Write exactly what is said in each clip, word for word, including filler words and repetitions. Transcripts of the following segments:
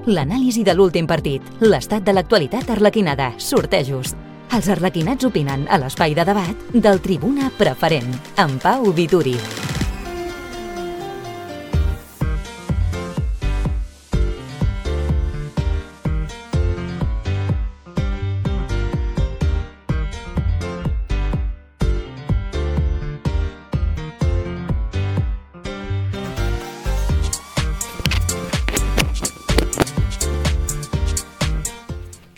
L'anàlisi de l'últim partit, l'estat de l'actualitat arlequinada, sortejos. Els arlequinats opinen a l'espai de debat del Tribuna Preferent, amb Pau Vituri.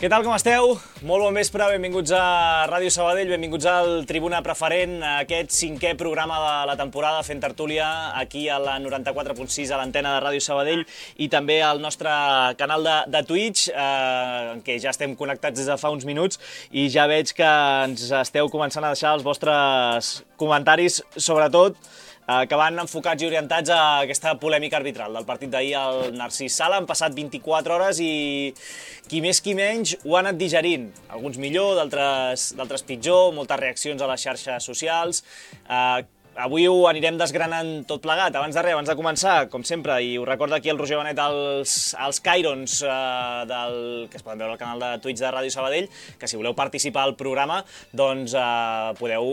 Què tal, com esteu? Molt bon vespre, benvinguts a Ràdio Sabadell, benvinguts al Tribuna Preferent, aquest cinquè programa de la temporada fent tertúlia aquí a la noranta-quatre punt sis a l'antena de Ràdio Sabadell i també al nostre canal de, de Twitch, eh, en què ja estem connectats des de fa uns minuts i ja veig que ens esteu començant a deixar els vostres comentaris, sobretot que van enfocats i orientats a aquesta polèmica arbitral del partit d'ahir al Narcís Sala. Han passat vint-i-quatre hores i qui més qui menys ho ha anat digerint. Alguns millor, d'altres pitjor, moltes reaccions a les xarxes socials. Avui ho anirem desgranant tot plegat. Abans de res, abans de començar, com sempre, i ho recorda aquí el Roger Benet, els, els Cairons eh, del, que es poden veure al canal de Twitch de Ràdio Sabadell, que si voleu participar al programa, doncs eh, podeu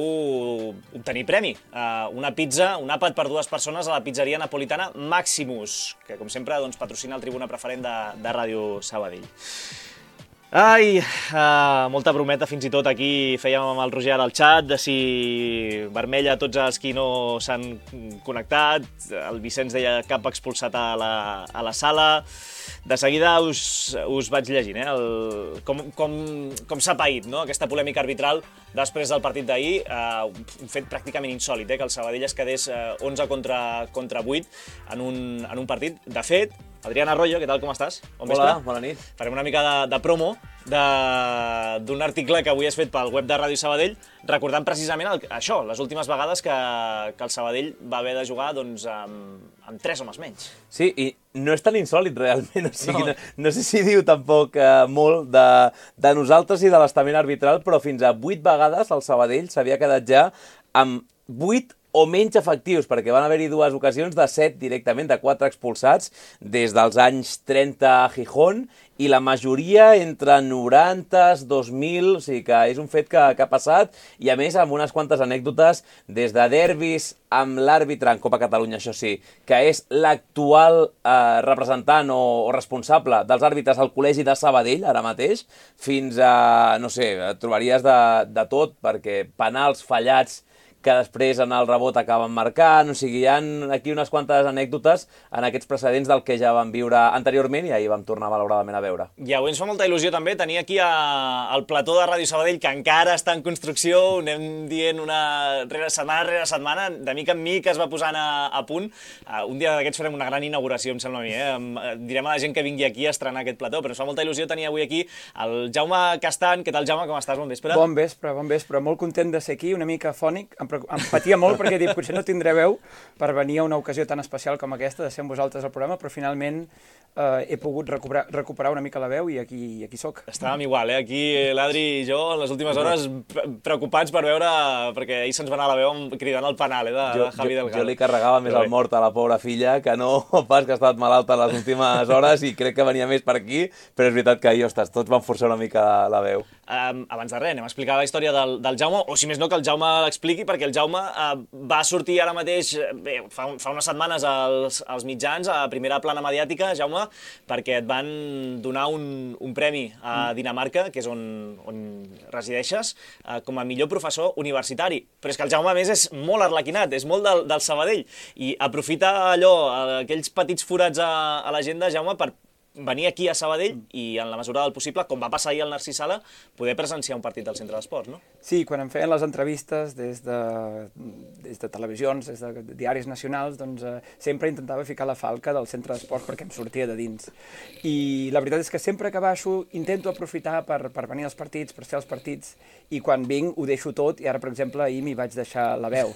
obtenir premi. Eh, una pizza, un àpat per dues persones a la pizzeria napolitana Maximus, que com sempre doncs, patrocina el Tribuna Preferent de, de Ràdio Sabadell. Ai, uh, molta brometa fins i tot aquí fèiem amb el Roger al xat de si vermella a tots els qui no s'han connectat. El Vicenç deia cap expulsat a la, a la sala. De seguida us, us vaig llegint, eh, el, com, com, com s'ha paït, no? Aquesta polèmica arbitral després del partit d'ahir. Uh, un fet pràcticament insòlit, eh, que el Sabadell es quedés uh, onze contra, contra vuit en un, en un partit. De fet, Adrián Arroyo, què tal, com estàs? Bon Hola, vespre. bona nit. Farem una mica de, de promo d'un article que avui has fet pel web de Ràdio Sabadell, recordant precisament el, això, les últimes vegades que, que el Sabadell va haver de jugar doncs, amb, amb tres homes menys. Sí, i no és tan insòlid realment, o sigui, no, no, no sé si diu tampoc eh, molt de, de nosaltres i de l'estament arbitral, però fins a vuit vegades el Sabadell s'havia quedat ja amb vuit o menys efectius, perquè van haver-hi dues ocasions de set directament, de quatre expulsats, des dels anys trenta a Gijón, i la majoria entre noranta, dos mil, o sigui que és un fet que, que ha passat, i a més amb unes quantes anècdotes des de derbis amb l'àrbitre en Copa Catalunya, això sí, que és l'actual eh, representant o, o responsable dels àrbitres al Col·legi de Sabadell, ara mateix, fins a, no sé, trobaries de, de tot, perquè penals fallats que després en el rebot acaben marcant, o sigui, hi ha aquí unes quantes anècdotes en aquests precedents del que ja vam viure anteriorment i ahir vam tornar malauradament a veure. I avui ens fa molta il·lusió també tenir aquí a, al plató de Ràdio Sabadell, que encara està en construcció, ho anem dient una rere, setmana rere setmana, de mica en mica es va posant a, a punt. Uh, un dia d'aquests farem una gran inauguració, em sembla a mi, eh? Direm a la gent que vingui aquí a estrenar aquest plató, però ens fa molta il·lusió tenir avui aquí el Jaume Castan. Què tal, Jaume? Com estàs? Bon vespre. Bon vespre, bon vespre. Molt content de ser aquí, una mica afònic. Em em patia molt perquè dic, potser no tindré veu per venir a una ocasió tan especial com aquesta de ser amb vosaltres al programa, però finalment eh, he pogut recuperar, recuperar una mica la veu i aquí, aquí soc. Estàvem igual, eh? Aquí l'Adri i jo en les últimes hores preocupats per veure, perquè ahir se'ns va anar la veu cridant el penal, eh, de, jo, de Javi jo, Delgado. Jo li carregava més el mort a la pobra filla, que no pas que ha estat malalta les últimes hores i crec que venia més per aquí, però és veritat que ahir, ostres, tots van forçar una mica la veu. Um, abans de res, anem a explicar la història del, del Jaume, o si més no que el Jaume l'expliqui, perquè el Jaume uh, va sortir ara mateix, bé, fa, fa unes setmanes als, als mitjans, a primera plana mediàtica, Jaume, perquè et van donar un, un premi a Dinamarca, que és on, on resideixes, uh, com a millor professor universitari. Però és que el Jaume, a més, és molt arlequinat, és molt del, del Sabadell, i aprofita allò, aquells petits forats a, a l'agenda, Jaume, per venir aquí a Sabadell i, en la mesura del possible, com va passar ahir al Narcís Sala, poder presenciar un partit del Centre d'Esports, no? Sí, quan em feien les entrevistes des de, des de televisions, des de diaris nacionals, doncs eh, sempre intentava ficar la falca del Centre d'Esports perquè em sortia de dins. I la veritat és que sempre que baixo intento aprofitar per, per venir als partits, per ser als partits, i quan vinc ho deixo tot, i ara, per exemple, ahir m'hi vaig deixar la veu.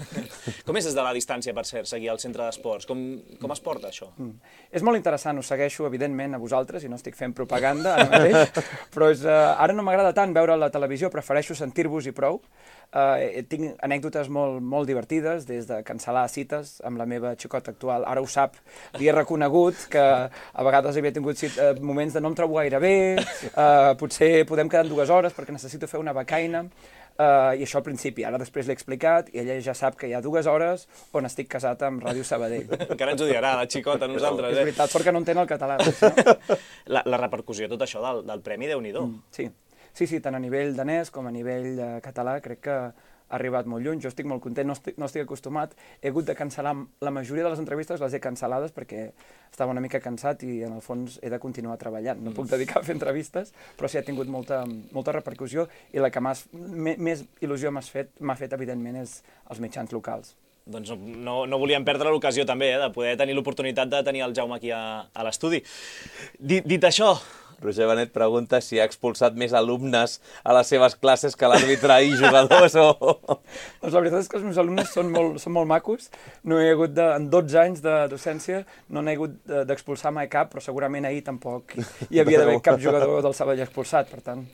Com és des de la distància, per cert, seguir al Centre d'Esports? Com, com es porta, això? Mm. És molt interessant, ho segueixo, evidentment, a vosaltres vosaltres i no estic fent propaganda ara mateix, però és, uh, ara no m'agrada tant veure la televisió, prefereixo sentir-vos i prou. Uh, tinc anècdotes molt, molt divertides, des de cancel·lar cites amb la meva xicota actual. Ara ho sap, li he reconegut que a vegades havia tingut cita, uh, moments de no em trobo gaire bé, uh, potser podem quedar en dues hores perquè necessito fer una becaina, uh, i això al principi. Ara després l'he explicat i ella ja sap que hi ha dues hores on estic casat amb Ràdio Sabadell. Encara ens ho dirà, la xicota, a nosaltres. És veritat, sort que no entén el català. No? La, la repercussió, tot això del, del Premi, Déu-n'hi-do. Mm, sí. Sí, sí, tant a nivell danès com a nivell eh, català, crec que ha arribat molt lluny. Jo estic molt content, no estic, no estic acostumat. He hagut de cancel·lar la majoria de les entrevistes, les he cancel·lades perquè estava una mica cansat i en el fons he de continuar treballant. No puc dedicar a fer entrevistes, però sí ha tingut molta, molta repercussió i la que més il·lusió m'ha fet, m'ha fet, evidentment, és els mitjans locals. Doncs no, no volíem perdre l'ocasió també, eh, de poder tenir l'oportunitat de tenir el Jaume aquí a, a l'estudi. Dit, dit això... Roger Benet pregunta si ha expulsat més alumnes a les seves classes que l'àrbitre i jugadors o... Doncs la veritat és que els meus alumnes són molt, són molt macos. No he hagut de, en dotze anys de docència, no n'he hagut d'expulsar mai cap, però segurament ahir tampoc hi havia d'haver cap jugador del Sabadell expulsat, per tant...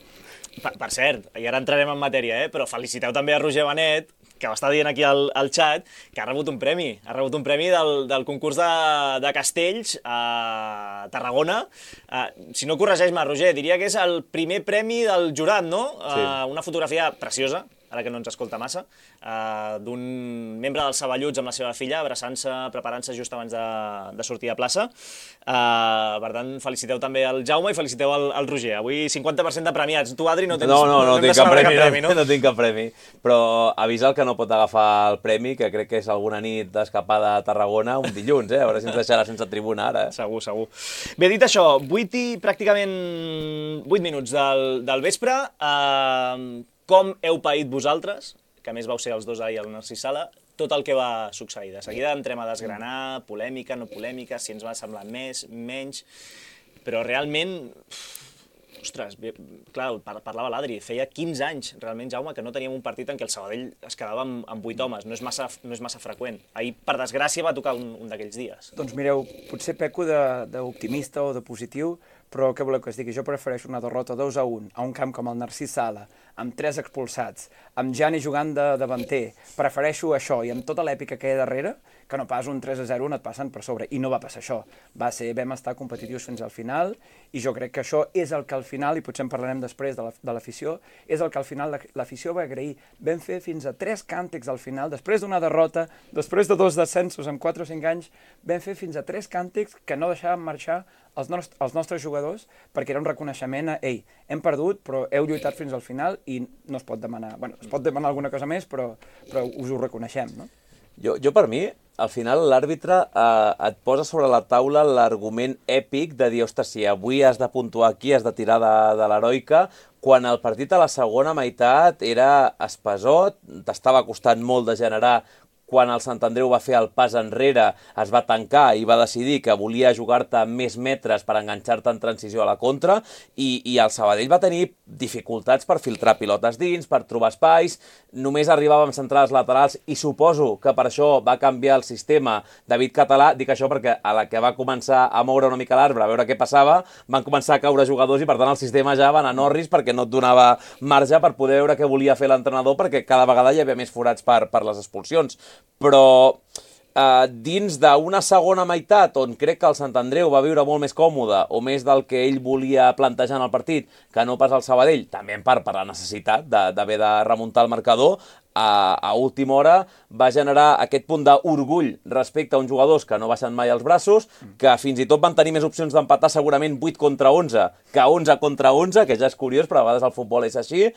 Per, per cert, i ara entrarem en matèria, eh? Però feliciteu també a Roger Benet, que ho està dient aquí al, al xat, que ha rebut un premi. Ha rebut un premi del, del concurs de, de castells a Tarragona. Uh, si no corregeix-me, Roger, diria que és el primer premi del jurat, no? Sí. Uh, una fotografia preciosa, ara que no ens escolta massa, uh, d'un membre dels Saballuts amb la seva filla, abraçant-se, preparant-se just abans de, de sortir a plaça. Uh, per tant, feliciteu també al Jaume i feliciteu al, al Roger. Avui cinquanta per cent de premiats. Tu, Adri, no tens... No, no, no, no tinc cap premi, cap premi, no, no? no tinc cap premi. Però avisa el que no pot agafar el premi, que crec que és alguna nit d'escapada a Tarragona, un dilluns, eh? A veure si ens deixarà sense tribuna ara. Eh? Segur, segur. Bé, dit això, vuit i pràcticament vuit minuts del, del vespre. Uh, com heu paït vosaltres, que a més vau ser els dos ahir al Narcís Sala, tot el que va succeir. De seguida entrem a desgranar, polèmica, no polèmica, si ens va semblar més, menys... Però realment... Ostres, clar, parlava l'Adri, feia quinze anys, realment, Jaume, que no teníem un partit en què el Sabadell es quedava amb, amb vuit homes. No és massa, no és massa freqüent. Ahir, per desgràcia, va tocar un, un d'aquells dies. Doncs mireu, potser peco d'optimista o de positiu, però què voleu que es digui? Jo prefereixo una derrota dos a un a un camp com el Narcís Sala, amb tres expulsats, amb Gianni jugant de davanter. Prefereixo això, i amb tota l'èpica que hi ha darrere, que no pas un tres a zero on et passen per sobre. I no va passar això. Va ser, vam estar competitius fins al final, i jo crec que això és el que al final, i potser en parlarem després de l'afició, és el que al final l'afició va agrair. Vam fer fins a tres càntics al final, després d'una derrota, després de dos descensos en quatre o cinc anys, vam fer fins a tres càntics que no deixàvem marxar els, nostres, els nostres jugadors, perquè era un reconeixement a, ei, hem perdut, però heu lluitat fins al final i no es pot demanar, bueno, es pot demanar alguna cosa més, però, però us ho reconeixem, no? Jo, jo per mi, al final l'àrbitre eh, et posa sobre la taula l'argument èpic de dir, ostres, si avui has de puntuar aquí, has de tirar de, de l'heroica, quan el partit a la segona meitat era espesot, t'estava costant molt de generar. Quan el Sant Andreu va fer el pas enrere, es va tancar i va decidir que volia jugar-te més metres per enganxar-te en transició a la contra, i, i el Sabadell va tenir dificultats per filtrar pilotes dins, per trobar espais, només arribàvem centrades laterals, i suposo que per això va canviar el sistema David Català. Dic això perquè a la que va començar a moure una mica l'arbre, a veure què passava, van començar a caure jugadors i per tant el sistema ja va anar a Norris perquè no et donava marge per poder veure què volia fer l'entrenador, perquè cada vegada hi havia més forats per, per les expulsions. Però eh, dins d'una segona meitat on crec que el Sant Andreu va viure molt més còmode o més del que ell volia plantejar en el partit que no pas el Sabadell, també en part per la necessitat d'haver de remuntar el marcador, a, a última hora va generar aquest punt d'orgull respecte a uns jugadors que no baixen mai els braços, que fins i tot van tenir més opcions d'empatar segurament vuit contra onze que onze contra onze, que ja és curiós, però a vegades el futbol és així,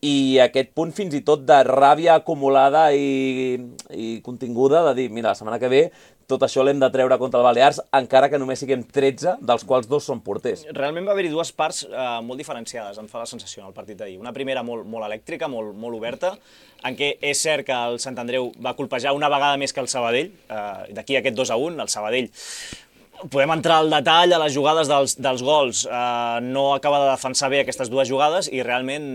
i aquest punt fins i tot de ràbia acumulada i, i continguda de dir, mira, la setmana que ve tot això l'hem de treure contra el Balears, encara que només siguem tretze, dels quals dos són porters. Realment va haver-hi dues parts eh, molt diferenciades, em fa la sensació, en el partit d'ahir. Una primera molt, molt elèctrica, molt, molt oberta, en què és cert que el Sant Andreu va colpejar una vegada més que el Sabadell, eh, d'aquí aquest dos a un, el Sabadell podem entrar al detall, a les jugades dels, dels gols. Uh, no acaba de defensar bé aquestes dues jugades i realment,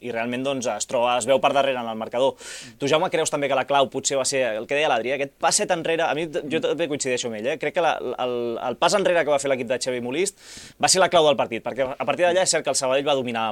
i realment doncs, es, troba, es veu per darrere en el marcador. Tu, Jaume, creus també que la clau potser va ser el que deia l'Adri, aquest passet enrere, a mi jo també coincideixo amb ell, eh? Crec que la, el, el pas enrere que va fer l'equip de Xavi Molist va ser la clau del partit, perquè a partir d'allà és cert que el Sabadell va dominar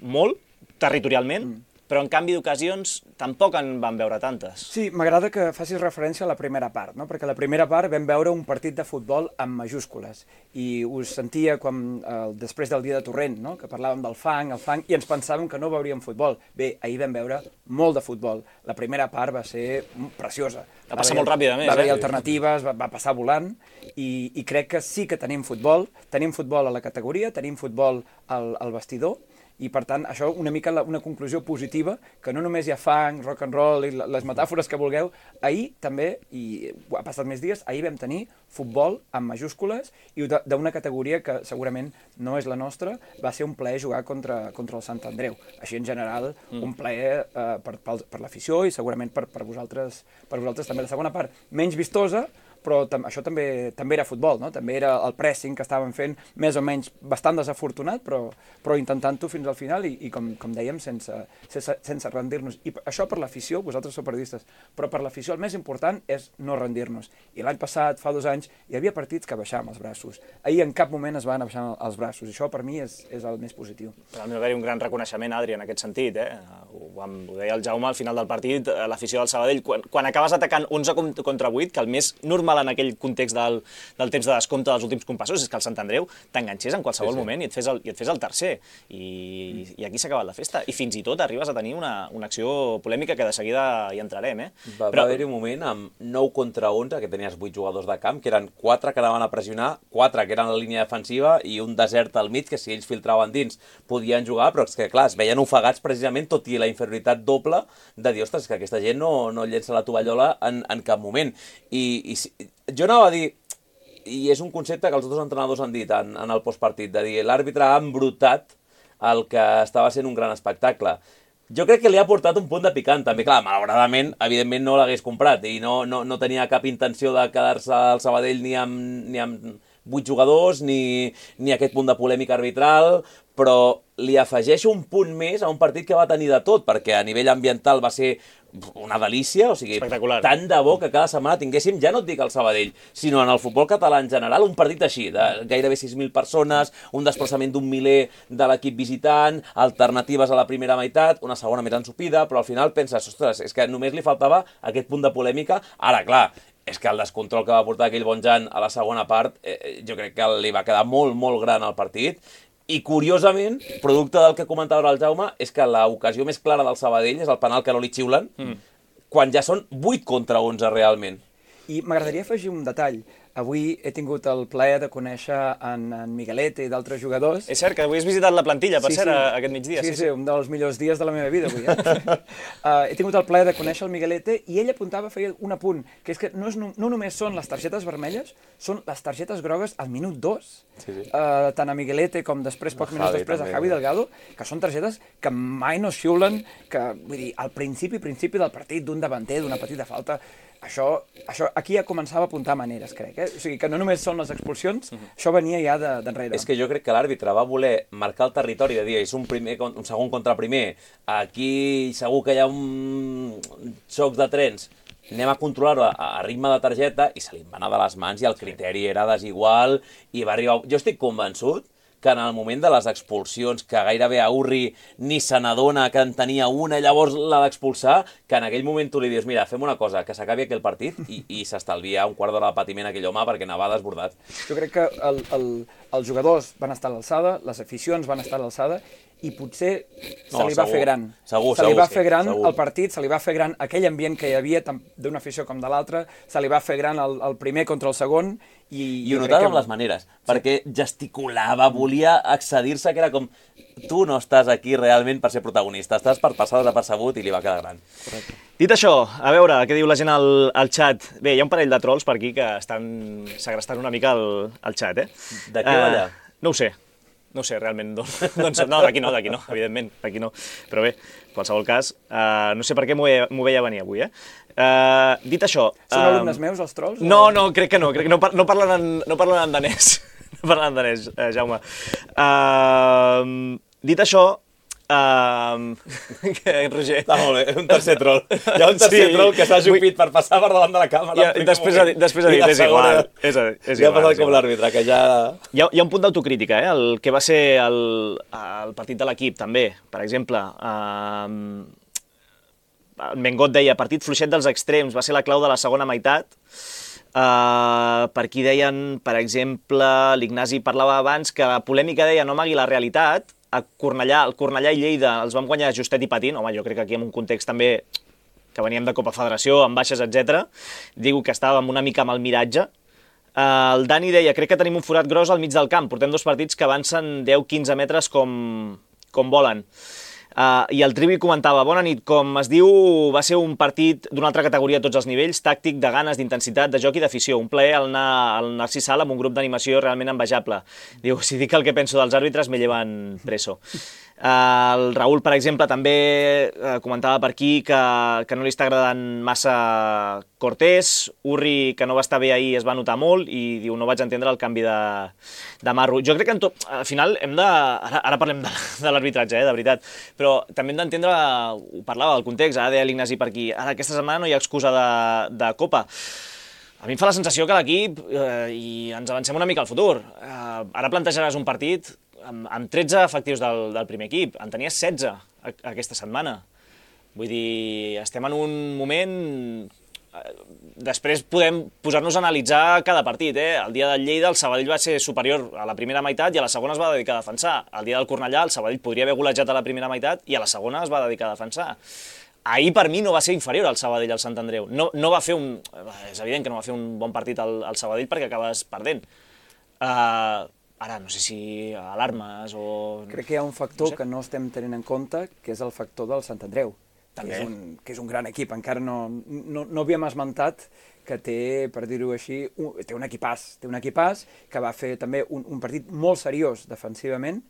molt, territorialment, mm. però en canvi d'ocasions tampoc en van veure tantes. Sí, m'agrada que facis referència a la primera part, no? Perquè la primera part vam veure un partit de futbol amb majúscules i us sentia quan, eh, després del dia de Torrent, no? Que parlàvem del fang, el fang, i ens pensàvem que no veuríem futbol. Bé, ahir vam veure molt de futbol. La primera part va ser preciosa. Va passar molt ràpid, a més. Va haver eh? alternatives, va, va passar volant, i, i crec que sí que tenim futbol, tenim futbol a la categoria, tenim futbol al, al vestidor, i per tant, això una mica la, una conclusió positiva, que no només hi ha fang, rock and roll i les metàfores que vulgueu. Ahir també, i ha passat més dies, ahir vam tenir futbol amb majúscules i d'una categoria que segurament no és la nostra, va ser un plaer jugar contra, contra el Sant Andreu. Així en general, mm. un plaer eh, per, per, per l'afició i segurament per, per, vosaltres, per vosaltres també. La segona part, menys vistosa, però tam això també, també era futbol, no? També era el pressing que estàvem fent, més o menys bastant desafortunat, però, però intentant-ho fins al final i, i com, com dèiem, sense, sense, sense rendir-nos. I això per l'afició, vosaltres sou periodistes, però per l'afició el més important és no rendir-nos. I l'any passat, fa dos anys, hi havia partits que baixàvem els braços. Ahir en cap moment es van baixar els braços, i això per mi és, és el més positiu. Realment va haver un gran reconeixement, Adri, en aquest sentit. Eh? Ho, ho deia el Jaume al final del partit, l'afició del Sabadell, quan, quan acabes atacant onze contra vuit, que el més normal en aquell context del, del temps de descompte dels últims compassos és que el Sant Andreu t'enganxés en qualsevol sí, sí. moment i et fes el, i et fes el tercer. I, mm. i aquí s'ha acabat la festa. I fins i tot arribes a tenir una, una acció polèmica que de seguida hi entrarem. Eh? Va, Però... va haver-hi un moment amb nou contra onze, que tenies vuit jugadors de camp, que eren quatre que anaven a pressionar, quatre que eren a la línia defensiva i un desert al mig, que si ells filtraven dins podien jugar, però és que clar, es veien ofegats precisament, tot i la inferioritat doble de dir, ostres, que aquesta gent no, no llença la tovallola en, en cap moment. I, i jo anava a dir, i és un concepte que els altres entrenadors han dit en, en el postpartit, de dir l'àrbitre ha embrutat el que estava sent un gran espectacle. Jo crec que li ha portat un punt de picant, també. Clar, malauradament, evidentment no l'hagués comprat i no, no, no tenia cap intenció de quedar-se al Sabadell ni amb, ni amb vuit jugadors, ni, ni aquest punt de polèmica arbitral, però li afegeixo un punt més a un partit que va tenir de tot, perquè a nivell ambiental va ser una delícia, o sigui, tant de bo que cada setmana tinguéssim, ja no et dic al Sabadell, sinó en el futbol català en general, un partit així, de gairebé sis mil persones, un desplaçament d'un miler de l'equip visitant, alternatives a la primera meitat, una segona més ensupida, però al final penses, ostres, és que només li faltava aquest punt de polèmica. Ara, clar, és que el descontrol que va portar aquell bon Jan a la segona part, eh, jo crec que li va quedar molt, molt gran al partit. I, curiosament, producte del que comentava el Jaume, és que l'ocasió més clara del Sabadell és el penal que no li xiulen, mm. quan ja són vuit contra onze realment. I m'agradaria afegir un detall. Avui he tingut el plaer de conèixer en, en Miguelete i d'altres jugadors. És cert que avui has visitat la plantilla, per sí, cert, sí. aquest migdia. Sí, sí, sí, un dels millors dies de la meva vida avui. Eh? uh, he tingut el plaer de conèixer el Miguelete i ell apuntava, feia un apunt, que és que no, és, no, no només són les targetes vermelles, són les targetes grogues al minut dos. Sí, sí. Uh, tant a Miguelete com després, pocs minuts després, també. A Javi Delgado, que són targetes que mai no xiulen, que, vull dir, al principi, principi del partit, d'un davanter, d'una petita falta, això, això aquí ja començava a apuntar maneres, crec. Eh? O sigui, que no només són les expulsions, uh-huh. això venia ja d'enrere. De, és que jo crec que l'àrbitre va voler marcar el territori de dir, és un, primer, un segon contra primer, aquí segur que hi ha un xoc de trens, anem a controlar-ho a, a ritme de targeta, i se li va anar de les mans i el criteri era desigual, i va arribar... Jo estic convençut que en el moment de les expulsions, que gairebé a Urri ni se n'adona que en tenia una i llavors l'ha d'expulsar, que en aquell moment tu li dius, mira, fem una cosa, que s'acabi aquell partit i, i s'estalvia un quart d'hora de patiment a aquell home perquè anava desbordat. Jo crec que el, el, els jugadors van estar a l'alçada, les aficions van estar a l'alçada, i potser se no, li va segur, fer gran. Segur, se li segur, va fer sí, gran segur. El partit, se li va fer gran aquell ambient que hi havia tant d'una afició com de l'altra, se li va fer gran el, el primer contra el segon, i... I ho notava amb les maneres, sí. perquè gesticulava, volia accedir-se, que era com, tu no estàs aquí realment per ser protagonista, estàs per passar desapercebut, i li va quedar gran. Correcte. Dit això, a veure, què diu la gent al, al xat? Bé, hi ha un parell de trolls per aquí que estan segrestant una mica el, el xat, eh? De què va allà? Uh, no ho sé. No ho sé, realment, no, doncs, no, d'aquí no, d'aquí no, evidentment, d'aquí no. Però bé, en qualsevol cas, uh, no sé per què m'ho veia, veia venir avui, eh? Uh, dit això... Són uh, alumnes meus, els trolls? No, no, crec que no, crec que no, no parlen en, no parlen en danès, no parlen en danès, uh, Jaume. Uh, dit això, Uh, Roger... Està molt bé, un tercer troll. Hi ha un tercer sí, troll que s'ha jupit per passar per davant de la càmera. I després ha dit, després ha dit és igual. És, és ja igual, ha passat com l'àrbitre, que ja... Hi ha, hi ha un punt d'autocrítica, eh? El que va ser el, el partit de l'equip, també. Per exemple, uh, Mengot deia, partit fluixet dels extrems, va ser la clau de la segona meitat. Uh, per aquí deien, per exemple, l'Ignasi parlava abans que la polèmica deia no amagui la realitat. A Cornellà, el Cornellà i Lleida els van guanyar justet i patint. Home, jo crec que aquí en un context també que veníem de Copa Federació, amb baixes, etcètera. Digo que estàvem una mica amb el miratge. Uh, el Dani deia, crec que tenim un forat gros al mig del camp. Portem dos partits que avancen deu quinze metres com, com volen. Uh, I el Trivi comentava, bona nit, com es diu, va ser un partit d'una altra categoria a tots els nivells, tàctic, de ganes, d'intensitat, de joc i d'afició. Un plaer al anar al Narcís Sala amb un grup d'animació realment envejable. Diu, si dic el que penso dels àrbitres, me llevan preso. Uh, el Raül, per exemple, també uh, comentava per aquí que, que no li està agradant massa Cortés. Urri, que no va estar bé ahir, es va notar molt i diu, no vaig entendre el canvi de, de Marro. Jo crec que en tot, al final hem de... Ara, ara parlem de, de l'arbitratge, eh, de veritat, però també hem d'entendre, ho parlava del context, ara deia l'Ignasi per aquí, ara aquesta setmana no hi ha excusa de, de Copa. A mi em fa la sensació que l'equip, eh, i ens avancem una mica al futur, eh, ara plantejaràs un partit amb, amb tretze efectius del, del primer equip, en tenies setze a, aquesta setmana. Vull dir, estem en un moment... Després podem posar-nos a analitzar cada partit, eh? El dia del Lleida el Sabadell va ser superior a la primera meitat i a la segona es va dedicar a defensar. El dia del Cornellà el Sabadell podria haver golejat a la primera meitat i a la segona es va dedicar a defensar. Ahir per mi no va ser inferior al Sabadell al Sant Andreu. No, no va fer un... És evident que no va fer un bon partit al, al Sabadell perquè acabes perdent. Uh, ara, no sé si alarmes o... Crec que hi ha un factor no sé. que no estem tenint en compte, que és el factor del Sant Andreu. Que és, un, que és un gran equip, encara no, no, no havíem esmentat que té, per dir-ho així, un, té un equipàs, té un equipàs que va fer també un, un partit molt seriós defensivament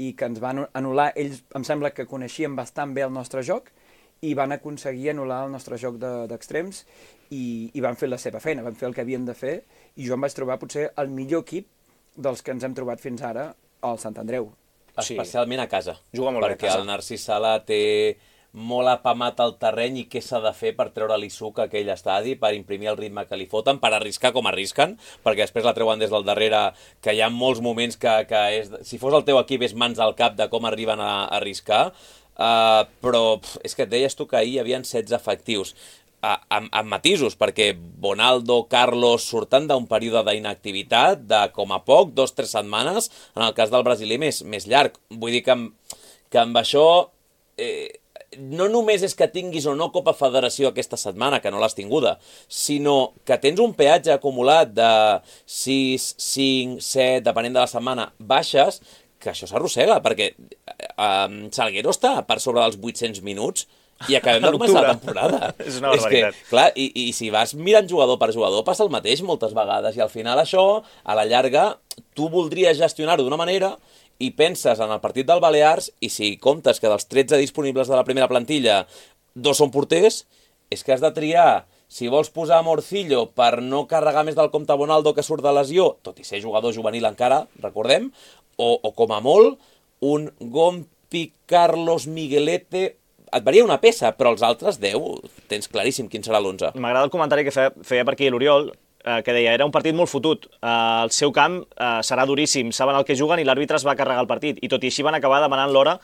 i que ens van anul·lar, ells em sembla que coneixien bastant bé el nostre joc i van aconseguir anul·lar el nostre joc d'extrems de, i, i van fer la seva feina, van fer el que havien de fer i jo em vaig trobar potser el millor equip dels que ens hem trobat fins ara al Sant Andreu. Especialment a casa. Juga molt bé a perquè casa. El Narcís Sala té molt apamat al terreny i què s'ha de fer per treure-li suc a aquell estadi, per imprimir el ritme que li foten, per arriscar com arrisquen, perquè després la treuen des del darrere, que hi ha molts moments que, que és, si fos el teu equip és mans al cap de com arriben a, a arriscar, uh, però pff, és que et deies tu que ahir hi havia setze efectius. Uh, amb, amb matisos, perquè Bonaldo, Carlos surten d'un període d'inactivitat de com a poc, dos o tres setmanes, en el cas del brasiler més, més llarg. Vull dir que amb, que amb això eh, no només és que tinguis o no Copa Federació aquesta setmana, que no l'has tinguda, sinó que tens un peatge acumulat de sis, cinc, set, depenent de la setmana, baixes, que això s'arrossega, perquè eh, Salguero està per sobre dels vuit-cents minuts i acabem de començar la temporada. És una barbaritat. És que, clar, i, i si vas mirant jugador per jugador passa el mateix moltes vegades i al final això, a la llarga, tu voldries gestionar-ho d'una manera i penses en el partit del Balears i si comptes que dels tretze disponibles de la primera plantilla dos són porters, és que has de triar si vols posar Morcillo per no carregar més del compte Bonaldo que surt de lesió, tot i ser jugador juvenil encara, recordem, o, o com a molt, un Gompi, Carlos, Miguelete... Et varia una peça, però els altres deu, tens claríssim quin serà l'onze. M'agrada el comentari que feia, feia per aquí l'Oriol, eh, que deia, era un partit molt fotut, eh, el seu camp eh, serà duríssim, saben el que juguen i l'àrbitre es va carregar el partit, i tot i així van acabar demanant l'hora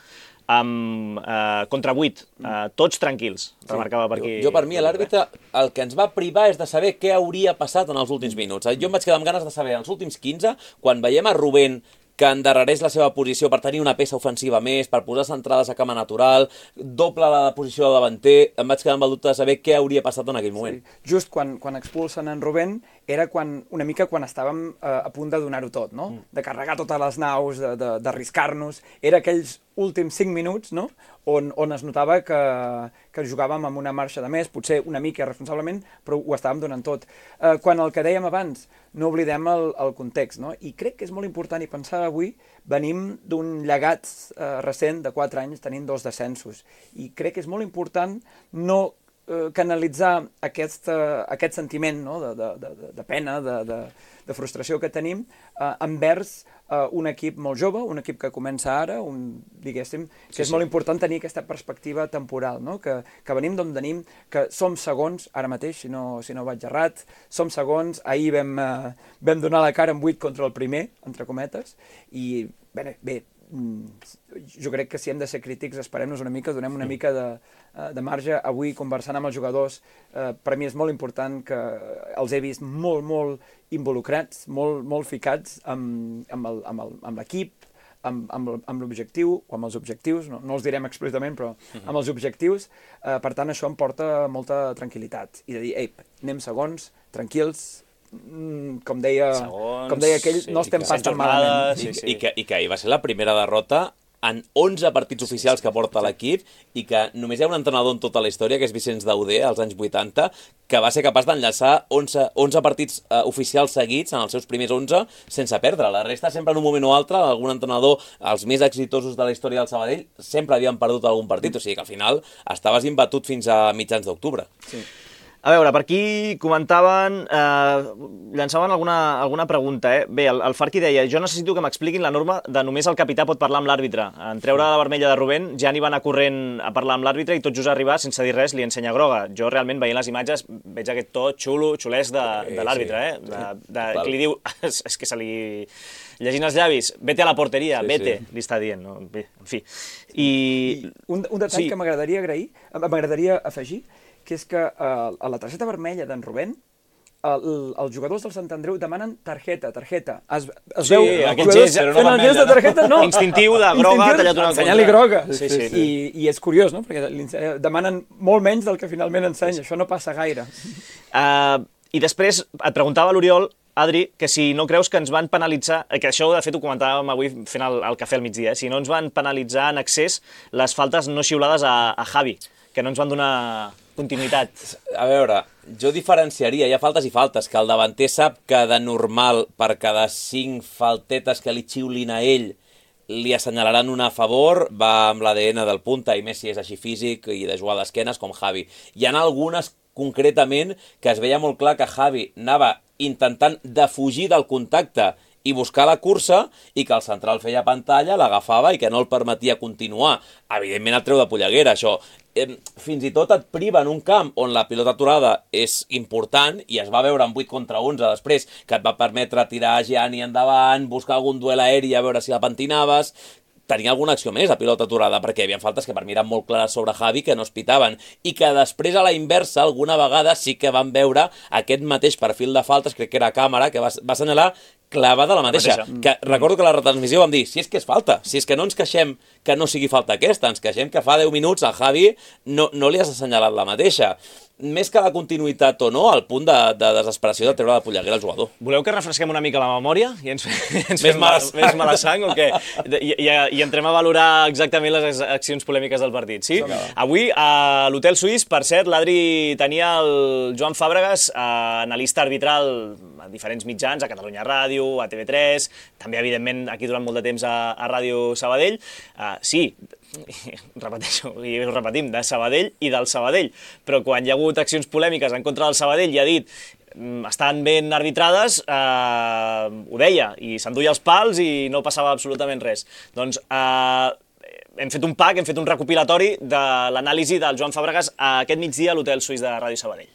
amb eh, contra vuit, eh, tots tranquils, sí. Remarcava per aquí. Jo, jo per mi, l'àrbitre, el que ens va privar és de saber què hauria passat en els últims minuts. Jo em vaig quedar amb ganes de saber, en els últims quinze, quan veiem a Rubén que endarrereix la seva posició per tenir una peça ofensiva més, per posar centrades a cama natural, doble la posició de davanter, em vaig quedar amb el dubte de saber què hauria passat en aquell moment. Sí. Just quan, quan expulsen en Rubén, era quan, una mica quan estàvem eh, a punt de donar-ho tot, no? Mm. De carregar totes les naus, d'arriscar-nos. Era aquells últims cinc minuts, no? On, on es notava que, que jugàvem amb una marxa de més, potser una mica irresponsablement, però ho estàvem donant tot. Eh, quan el que dèiem abans, no oblidem el, el context, no? I crec que és molt important, i pensava avui venim d'un llegat eh, recent de quatre anys tenint dos descensos. I crec que és molt important no eh, canalitzar aquest, eh, aquest sentiment, no? de, de, de, de pena, de, de, de frustració que tenim eh, envers eh, un equip molt jove, un equip que comença ara, un, diguéssim, que sí, és sí. molt important tenir aquesta perspectiva temporal, no? que, que venim d'on venim, que som segons, ara mateix, si no, si no vaig errat, som segons, ahir vam, eh, vam donar la cara en vuit contra el primer, entre cometes, i bé, bé, jo crec que si hem de ser crítics esperem-nos una mica, donem una mica de, de marge. Avui, conversant amb els jugadors, eh, per a mi és molt important que els he vist molt, molt involucrats, molt, molt ficats amb, amb l'equip, amb, amb, amb l'objectiu, o amb els objectius, no, no els direm explícitament, però amb els objectius. Eh, per tant, això em porta molta tranquil·litat. I de dir, ei, anem segons, tranquils, com deia, Segons, com deia aquell, sí, no estem pas tan malament. Sí, sí. I, que, I que ahir va ser la primera derrota en onze partits oficials que porta l'equip i que només hi ha un entrenador en tota la història, que és Vicenç Dauder, als anys vuitanta, que va ser capaç d'enllaçar onze, onze partits uh, oficials seguits en els seus primers onze sense perdre. La resta, sempre en un moment o altre, algun entrenador, els més exitosos de la història del Sabadell, sempre havien perdut algun partit, o sigui que al final estaves imbatut fins a mitjans d'octubre. Sí. A veure, per aquí comentaven, eh, llançaven alguna, alguna pregunta. Eh? Bé, el, el Farqui deia, jo necessito que m'expliquin la norma de només el capità pot parlar amb l'àrbitre. En treure la vermella de Rubén, ja n'hi va anar corrent a parlar amb l'àrbitre i tot just arribar, sense dir res, li ensenya groga. Jo realment, veient les imatges, veig aquest to xulo, xulès de, de l'àrbitre, eh? De, de, que li diu, és, és que se li... Llegint els llavis, vete a la porteria, sí, vete, sí. li està dient. No? Bé, en fi. I... I un, un detall sí. que m'agradaria agrair, m'agradaria afegir, que és que uh, a la targeta vermella d'en Rubén, el, els jugadors del Sant Andreu demanen targeta, targeta. Es, es sí, veu aquest gest, fent el gest de targeta, no. Instintiu de groga, tallat una contra. Ensenyant-li groga. Sí, sí. I, I és curiós, no?, perquè demanen molt menys del que finalment ensenya. Sí. Això no passa gaire. Uh, I després et preguntava l'Oriol, Adri, que si no creus que ens van penalitzar, que això de fet ho comentàvem avui fent el, el cafè al migdia, eh? Si no ens van penalitzar en excés les faltes no xiulades a, a Javi, que no ens van donar continuïtat. A veure, jo diferenciaria, hi ha faltes i faltes, que el davanter sap que de normal per cada cinc faltetes que li xiulin a ell li assenyalaran una a favor, va amb l'A D N del punta, i més si és així físic i de jugar d'esquenes com Javi. Hi ha algunes concretament que es veia molt clar que Javi anava intentant defugir del contacte i buscar la cursa, i que el central feia pantalla, l'agafava i que no el permetia continuar. Evidentment et treu de polleguera, això. Eh, fins i tot et priva en un camp on la pilota aturada és important, i es va veure en vuit contra onze després, que et va permetre tirar Gianni endavant, buscar algun duel aeri a veure si la pentinaves. Tenia alguna acció més a pilota aturada, perquè hi havia faltes que per mi eren molt clares sobre Javi que no es pitaven, i que després a la inversa alguna vegada sí que van veure aquest mateix perfil de faltes, crec que era a càmera, que va, va assenyalar clavada la mateixa. La mateixa. Que recordo que a la retransmissió vam dir, si és que és falta, si és que no ens queixem que no sigui falta aquesta, ens queixem que fa deu minuts a Javi no, no li has assenyalat la mateixa. Més que la continuïtat o no, al punt de, de desesperació de treure la polleguera al jugador. Voleu que refresquem una mica la memòria i ens, ens fem mala, més mala sang o què? I, i, I entrem a valorar exactament les accions polèmiques del partit, sí? sí. Avui, a l'Hotel Suís, per cert, l'Adri tenia el Joan Fàbregas, analista arbitral a diferents mitjans, a Catalunya Ràdio, a T V tres, també, evidentment, aquí durant molt de temps a, a Ràdio Sabadell. Uh, sí, repeteixo, i ho repetim, de Sabadell i del Sabadell, però quan hi ha hagut accions polèmiques en contra del Sabadell i ha dit estan ben arbitrades, eh, ho deia, i s'enduia els pals i no passava absolutament res. Doncs eh, hem fet un pack, hem fet un recopilatori de l'anàlisi del Joan Fàbregas aquest migdia a l'Hotel Suís de Ràdio Sabadell.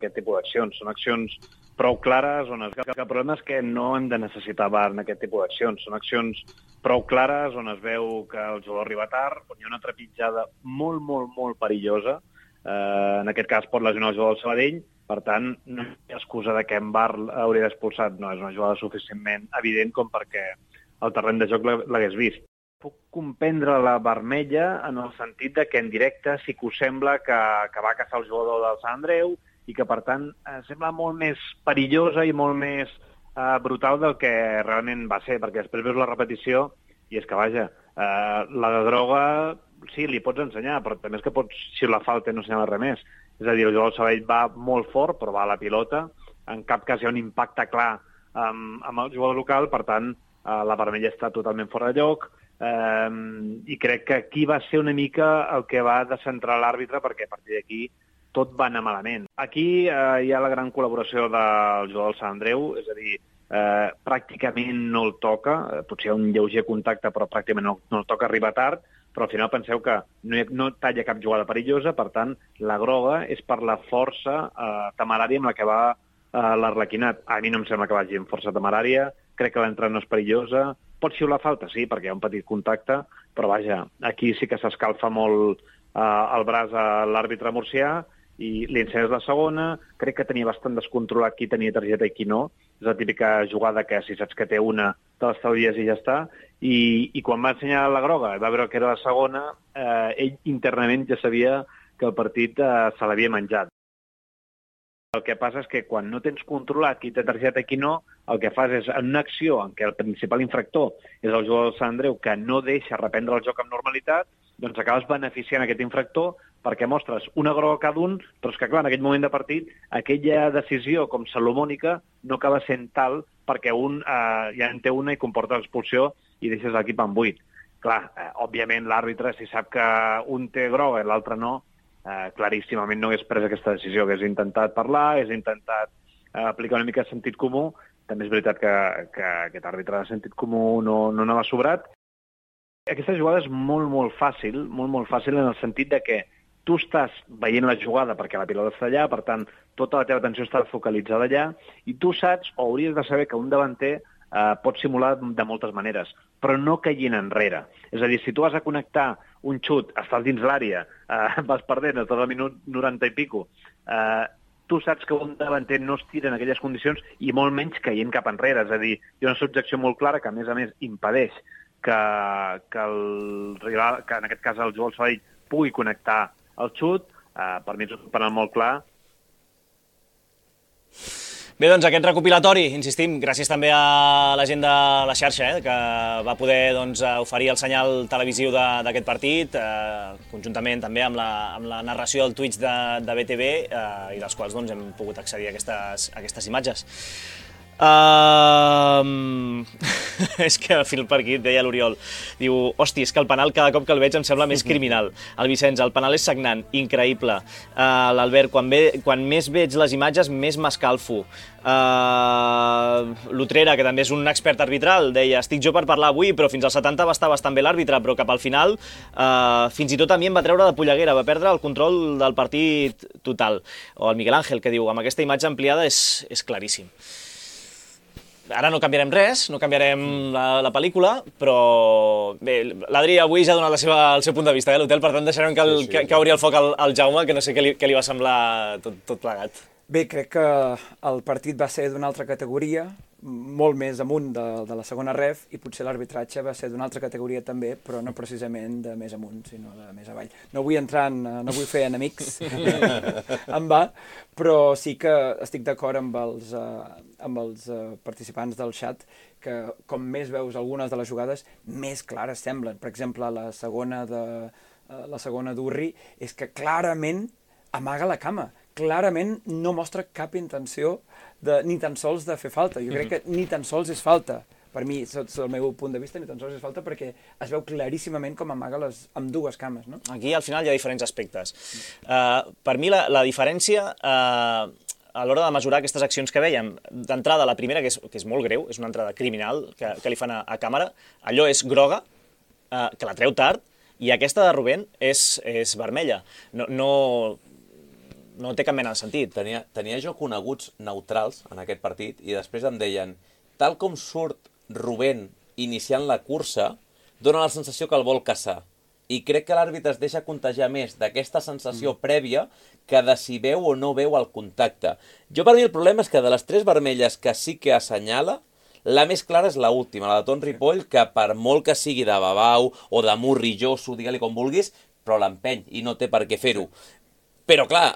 Aquest tipus d'accions són accions prou clares, on el, el problema és que no hem de necessitar V A R en aquest tipus d'accions. Són accions prou clares on es veu que el jugador arriba tard, on hi ha una trepitjada molt, molt, molt perillosa. Eh, en aquest cas pot lesionar el jugador del Sabadell, per tant, no hi ha excusa de que en V A R hauria d'expulsat. No, és una jugada suficientment evident com perquè el terreny de joc l'hagués vist. Puc comprendre la vermella en el sentit de que en directe sí que us sembla que, que va caçar el jugador del Sant Andreu i que, per tant, eh, sembla molt més perillosa i molt més eh, brutal del que realment va ser, perquè després veus la repetició i és que, vaja, eh, la de droga sí, li pots ensenyar, però també és que pots, si la falta, no ensenyar res més. És a dir, el jugador del Sabadell va molt fort, però va a la pilota, en cap cas hi ha un impacte clar amb, amb el jugador local, per tant, eh, la vermella està totalment fora de lloc, eh, i crec que aquí va ser una mica el que va descentrar l'àrbitre, perquè a partir d'aquí tot va anar malament. Aquí eh, hi ha la gran col·laboració del jugador del Sant Andreu, és a dir, eh, pràcticament no el toca, eh, potser hi ha un lleuger contacte, però pràcticament no, no el toca, arriba tard, però al final penseu que no, hi ha, no talla cap jugada perillosa, per tant, la groga és per la força eh, temerària amb la que va eh, l'Arlequinat. A mi no em sembla que vagi amb força temerària, crec que l'entrada no és perillosa, pot xiular falta, sí, perquè hi ha un petit contacte, però vaja, aquí sí que s'escalfa molt eh, el braç a l'àrbitre murcià, i l'incens la segona, crec que tenia bastant descontrolat qui tenia targeta i qui no. És la típica jugada que si saps que té una, te l'estalvies i ja està. I, i quan va ensenyar la groga, va veure que era la segona, eh, ell internament ja sabia que el partit eh, se l'havia menjat. El que passa és que quan no tens controlat qui té targeta i qui no, el que fas és, en una acció en què el principal infractor és el jugador del Sant Andreu, que no deixa reprendre el joc amb normalitat, doncs acabes beneficiant aquest infractor perquè mostres una groga cada un, però és que, clar, en aquell moment de partit, aquella decisió com salomònica no acaba sent tal perquè un eh, ja en té una i comporta l'expulsió i deixes l'equip en buit. Clar, eh, òbviament l'àrbitre, si sap que un té groga i l'altre no, eh, claríssimament no hagués pres aquesta decisió, hagués intentat parlar, hagués intentat eh, aplicar una mica de sentit comú. També és veritat que, que aquest àrbitre de sentit comú no, no n'ha sobrat. Aquesta jugada és molt, molt fàcil, molt, molt fàcil en el sentit de que tu estàs veient la jugada perquè la pilota està allà, per tant, tota la teva atenció està focalitzada allà, i tu saps o hauries de saber que un davanter eh, pot simular de moltes maneres, però no caient enrere. És a dir, si tu vas a connectar un xut, estàs dins l'àrea, eh, vas perdent a tot el minut noranta i pico, eh, tu saps que un davanter no es tira en aquelles condicions i molt menys caient cap enrere. És a dir, hi ha una subjecció molt clara que, a més a més, impedeix que, que el rival, que en aquest cas el jugador Sabadell, pugui connectar el xut. Eh, per mi és un penal molt clar. Bé, doncs aquest recopilatori, insistim, gràcies també a la gent de la xarxa, eh, que va poder doncs, oferir el senyal televisiu d'aquest partit, eh, conjuntament també amb la, amb la narració del Twitch de, de B T V, eh, i dels quals doncs, hem pogut accedir a aquestes, a aquestes imatges. Uh... és que a fil per aquí deia l'Oriol, diu, hosti, és que el penal cada cop que el veig em sembla més criminal. El Vicenç, el penal és sagnant, increïble. Uh, L'Albert, quan, ve, quan més veig les imatges més m'escalfo. Uh, L'Utrera, que també és un expert arbitral, deia, estic jo per parlar avui, però fins als setanta va estar bastant bé l'àrbitre, però cap al final uh, fins i tot a mi em va treure de polleguera, va perdre el control del partit total. O el Miguel Ángel, que diu, amb aquesta imatge ampliada és, és claríssim. Ara no canviarem res, no canviarem la, la pel·lícula, però bé, l'Adri avui ja ha donat la seva, el seu punt de vista, eh, l'hotel, per tant deixarem que, el, sí, sí, que, que obri el foc al, al Jaume, que no sé què li, què li va semblar tot, tot plegat. Bé, crec que el partit va ser d'una altra categoria, molt més amunt de, de la segona ref, i potser l'arbitratge va ser d'una altra categoria també, però no precisament de més amunt, sinó de més avall. No vull entrar en, no vull fer enemics en va, però sí que estic d'acord amb els, uh, amb els uh, participants del xat, que com més veus algunes de les jugades, més clares semblen. Per exemple, la segona de uh, la segona d'Urri és que clarament amaga la cama. Clarament no mostra cap intenció de, ni tan sols de fer falta. Jo crec que ni tan sols és falta. Per mi, sota el meu punt de vista, ni tan sols és falta perquè es veu claríssimament com amaga les amb dues cames, no? Aquí al final hi ha diferents aspectes. Uh, per mi la, la diferència uh, a l'hora de mesurar aquestes accions que vèiem, d'entrada la primera, que és, que és molt greu, és una entrada criminal que, que li fan a, a càmera, allò és groga, uh, que la treu tard, i aquesta de Rubén és, és vermella. No... no No té cap mena de sentit. Tenia, tenia jo coneguts neutrals en aquest partit i després em deien, tal com surt Rubén iniciant la cursa, dona la sensació que el vol caçar. I crec que l'àrbitre es deixa contagiar més d'aquesta sensació mm. prèvia que de si veu o no veu el contacte. Jo, per mi, el problema és que de les tres vermelles que sí que assenyala, la més clara és l'última, la de Ton Ripoll, que per molt que sigui de babau o de murrilloso, digue-li com vulguis, però l'empeny i no té per què fer-ho. Però, clar,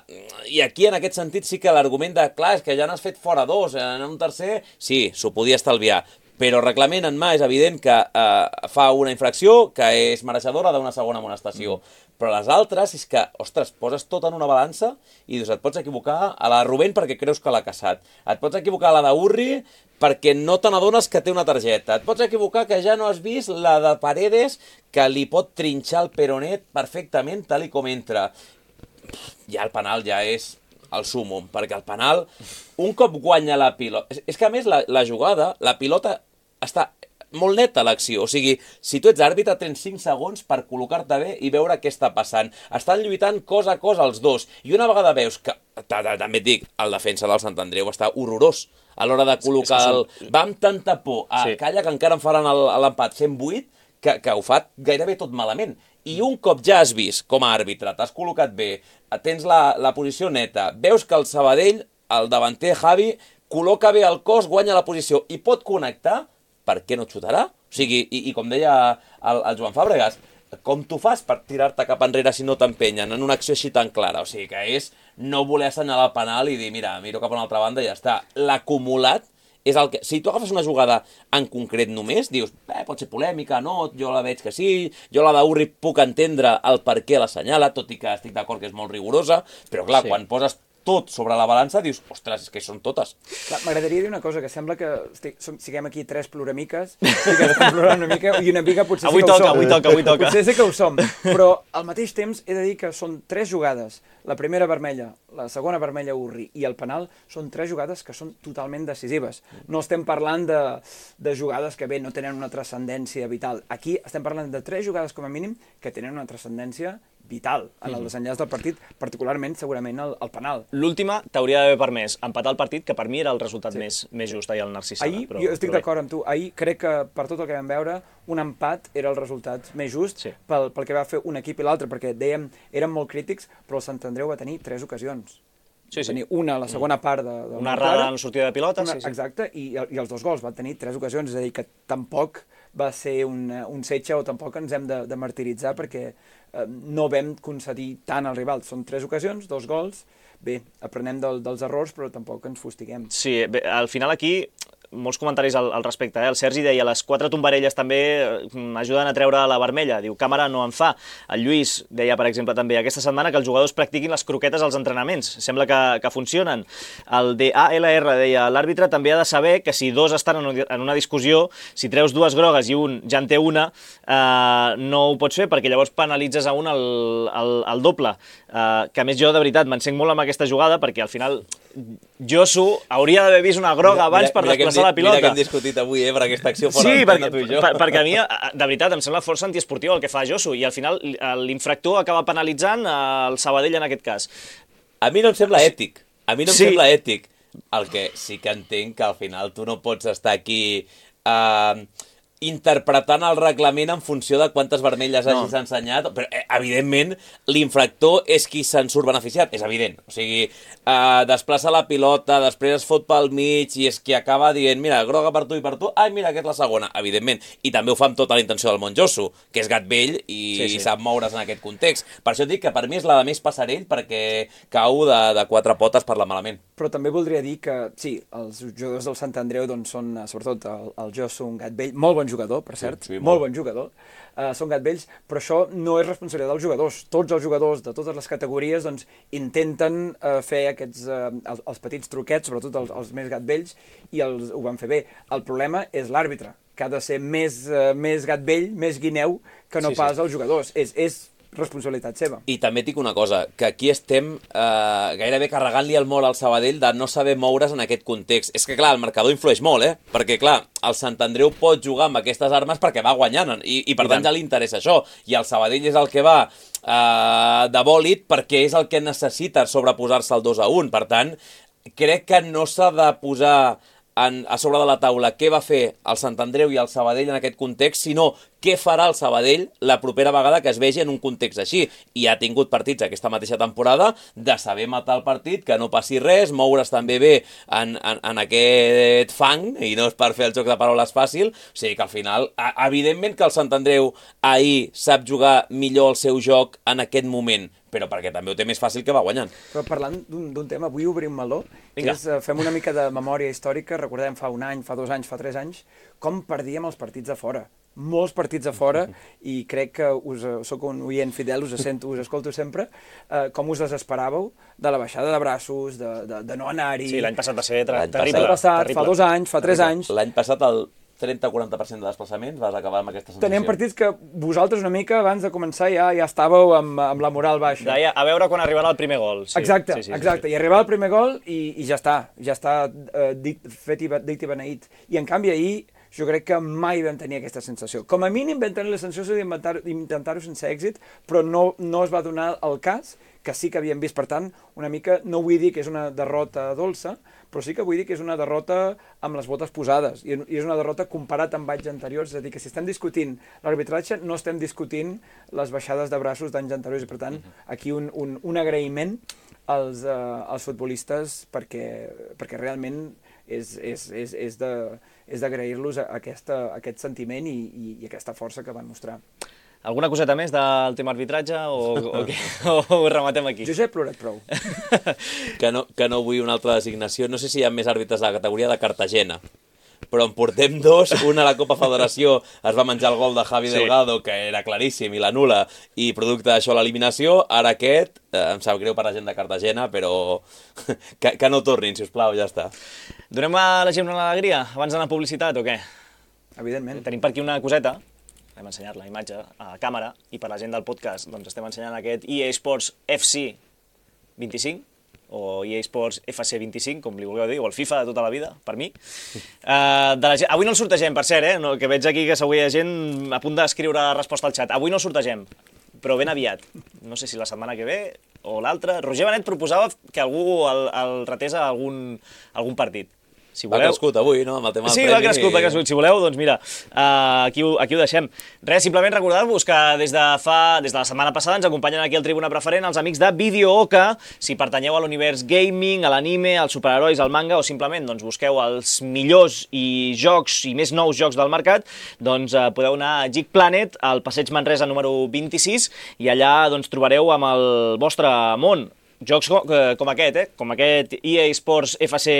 i aquí en aquest sentit sí que l'argument de, clar, és que ja n'has fet fora dos, en un tercer, sí, s'ho podia estalviar. però reglament en mà és evident que eh, fa una infracció que és mereixedora d'una segona amonestació. Mm. Però les altres és que, ostres, poses tot en una balança i dius, et pots equivocar a la de Rubén perquè creus que l'ha caçat. Et pots equivocar a la d'Urri perquè no te n'adones que té una targeta. Et pots equivocar que ja no has vist la de Paredes que li pot trinxar el peronet perfectament tal i com entra. Ja el penal ja és el súmum, perquè el penal, un cop guanya la pilota... És, és que a més la, la jugada, la pilota està molt neta l'acció, o sigui, si tu ets àrbitre tens cinc segons per col·locar-te bé i veure què està passant. Estan lluitant cos a cos els dos, i una vegada veus que, també et dic, el defensa del Sant Andreu està horrorós a l'hora de col·locar el... Va amb tanta por a sí. Calla que encara en faran l'empat cent vuit que, que ho fa gairebé tot malament. I un cop ja has vist com a àrbitre, t'has col·locat bé, tens la, la posició neta, veus que el Sabadell, el davanter Javi, col·loca bé el cos, guanya la posició i pot connectar, per què no xutarà? O sigui, i, i com deia el, el Joan Fàbregas, com tu fas per tirar-te cap enrere si no t'empenyen en una acció així tan clara? O sigui, que és no voler assenyalar el penal i dir, mira, miro cap a una altra banda i ja està. L'acumulat és el que... Si tu agafes una jugada en concret només, dius, eh, pot ser polèmica, no, jo la veig que sí, jo la d'Urri puc entendre el per què l'assenyala, tot i que estic d'acord que és molt rigorosa, però clar, sí. Quan poses tot sobre la balança, dius, ostres, és que són totes. M'agradaria dir una cosa, que sembla que estic, som, siguem aquí tres ploramiques, i que estem plorant una mica, i una mica potser avui sí que toca, ho som. avui toca, avui toca. Potser sí que ho som, però al mateix temps he de dir que són tres jugades. La primera vermella, la segona vermella Urri i el penal són tres jugades que són totalment decisives. No estem parlant de, de jugades que bé no tenen una transcendència vital. Aquí estem parlant de tres jugades com a mínim que tenen una transcendència vital en el desenllaç del partit, particularment, segurament, el, el penal. L'última t'hauria d'haver permès empatar el partit, que per mi era el resultat sí. més, més just ahir al Narcís Sala. Ahir, però, jo estic però d'acord amb tu, ahir crec que per tot el que vam veure, un empat era el resultat més just sí. pel, pel que va fer un equip i l'altre, perquè dèiem, érem molt crítics, però el Sant Andreu va tenir tres ocasions. Sí, sí. Va tenir una a la segona part de, de una errada en sortida de pilota, una, sí, sí. Exacte, i, i els dos gols van tenir tres ocasions, és a dir, que tampoc va ser un, un setge o tampoc ens hem de, de martiritzar perquè eh, no vam concedir tant al rival. Són tres ocasions, dos gols, bé, aprenem del, dels errors, però tampoc ens fustiguem. Sí, bé, al final aquí molts comentaris al, al respecte. Eh? El Sergi deia, les quatre tombarelles també ajuden a treure la vermella. Diu, càmera no en fa. El Lluís deia, per exemple, també aquesta setmana que els jugadors practiquin les croquetes als entrenaments. Sembla que, que funcionen. El D A L R deia, l'àrbitre també ha de saber que si dos estan en una discussió, si treus dues grogues i un ja en té una, eh, no ho pots fer perquè llavors penalitzes a un el, el, el doble. Eh, que a més jo, de veritat, m'encenc molt amb aquesta jugada perquè al final Josu hauria d'haver vist una groga abans mira, per mira desplaçar la pilota. Mira que hem discutit avui, eh, per aquesta acció fora sí, perquè, tu i jo. Per, perquè a mi, de veritat, em sembla força antiesportiu el que fa Josu, i al final l'infractor acaba penalitzant el Sabadell en aquest cas. A mi no em sembla ètic. A mi no em sí. sembla ètic. El que sí que entenc que al final tu no pots estar aquí eh, interpretant el reglament en funció de quantes vermelles no. hagis ensenyat, però eh, evidentment l'infractor és qui se'n surt beneficiat, és evident. O sigui, eh, desplaça la pilota, després es fot pel mig i és qui acaba dient, mira, groga per tu i per tu, ai, mira, que és la segona, evidentment. I també ho fa amb tota la intenció del Monjosu, que és gat vell i, sí, sí. i sap moure's en aquest context. Per això dic que per mi és la de més passarell perquè cau de, de quatre potes per la malament. Però també voldria dir que, sí, els jugadors del Sant Andreu doncs, són, sobretot el, el Josu, un gat vell, molt bon jugador, per cert, sí, sí, molt. molt bon jugador, uh, són gat vells, però això no és responsabilitat dels jugadors. Tots els jugadors de totes les categories doncs, intenten uh, fer aquests, uh, els, els petits truquets, sobretot els, els més gat vells, i els, ho van fer bé. El problema és l'àrbitre, que ha de ser més, uh, més gat vell, més guineu, que no sí, pas sí. els jugadors. És, és responsabilitat seva. I també et dic una cosa, que aquí estem eh, gairebé carregant-li el mort al Sabadell de no saber moure's en aquest context. És que, clar, el marcador influeix molt, eh? Perquè, clar, el Sant Andreu pot jugar amb aquestes armes perquè va guanyant, i, i per I tant, tant ja li interessa això. I el Sabadell és el que va eh, de bòlit perquè és el que necessita sobreposar-se al dos a un. Per tant, crec que no s'ha de posar en, a sobre de la taula què va fer el Sant Andreu i el Sabadell en aquest context, sinó què farà el Sabadell la propera vegada que es vegi en un context així. I ha tingut partits aquesta mateixa temporada de saber matar el partit, que no passi res, moure's també bé en, en, en aquest fang, i no és per fer el joc de paraules fàcil. O sigui que al final, evidentment que el Sant Andreu ahir sap jugar millor el seu joc en aquest moment, però perquè també ho té més fàcil que va guanyant. Però parlant d'un tema, vull obrir un meló, que és, fem una mica de memòria històrica, recordem fa un any, fa dos anys, fa tres anys, com perdíem els partits a fora. Molts partits a fora, i crec que us, soc un oient fidel, us sento, us escolto sempre, eh, com us desesperàveu de la baixada de braços, de, de, de no anar-hi... Sí, l'any passat va ser terrible. L'any passat, fa dos anys, fa tres anys... L'any passat el trenta a quaranta per cent de desplaçaments vas acabar amb aquesta sensació. Teníem partits que vosaltres una mica abans de començar ja ja estàveu amb, amb la moral baixa. Deia, a veure quan arribarà el primer gol. Sí. Exacte, sí, sí, exacte. Sí, sí. I arribava el primer gol i, i ja està, ja està uh, dit, fet i, dit i beneït. I en canvi ahir jo crec que mai vam tenir aquesta sensació. Com a mínim vam tenir la sensació d'intentar-ho sense èxit, però no, no es va donar el cas, que sí que havíem vist. Per tant, una mica, no vull dir que és una derrota dolça, però sí que vull dir que és una derrota amb les botes posades, i és una derrota comparat amb anys anteriors, és a dir, que si estem discutint l'arbitratge no estem discutint les baixades de braços d'anys anteriors, i per tant, aquí un, un, un agraïment als, uh, als futbolistes perquè, perquè realment és, és, és, és de... és d'agrair-los aquesta, aquest sentiment i, i, i aquesta força que van mostrar. Alguna coseta més del tema arbitratge o, o, o ho rematem aquí? Jo ja he plorat prou. que, no, que no vull una altra designació. No sé si hi ha més àrbitres de la categoria de Cartagena, però en portem dos. Una a la Copa Federació es va menjar el gol de Javi sí. Delgado, que era claríssim, i l'anul·la, i producte d'això l'eliminació. Ara aquest, eh, em sap greu per la gent de Cartagena, però que, que no tornin, si us plau, ja està. Donem a la gent una alegria abans d'anar a publicitat o què? Evidentment. Tenim per aquí una coseta, hem ensenyat la imatge a càmera, i per la gent del podcast doncs estem ensenyant aquest E A Sports F C vint-i-cinc, o E A Sports F C vint-i-cinc, com li vulgueu dir, o el FIFA de tota la vida, per mi. Uh, de la gent... Avui no el sortegem, per cert, eh? No, que veig aquí que segur hi ha gent a punt d'escriure la resposta al xat. Avui no el sortegem, però ben aviat. No sé si la setmana que ve o l'altra. Roger Benet proposava que algú el, el ratés a algun, algun partit. Si voleu... Va crescut avui, no?, amb el tema del sí, premi. Sí, va crescut, va crescut. Si voleu, doncs mira, uh, aquí, ho, aquí ho deixem. Res, simplement recordar-vos que des de fa, des de la setmana passada ens acompanyen aquí al Tribuna Preferent els amics de Video Oca. Si pertanyeu a l'univers gaming, a l'anime, als superherois, al manga, o simplement doncs, busqueu els millors i jocs i més nous jocs del mercat, doncs uh, podeu anar a Geek Planet, al Passeig Manresa número vint-i-sis, i allà doncs, trobareu amb el vostre món jocs com, com aquest, eh? com aquest E A Sports F C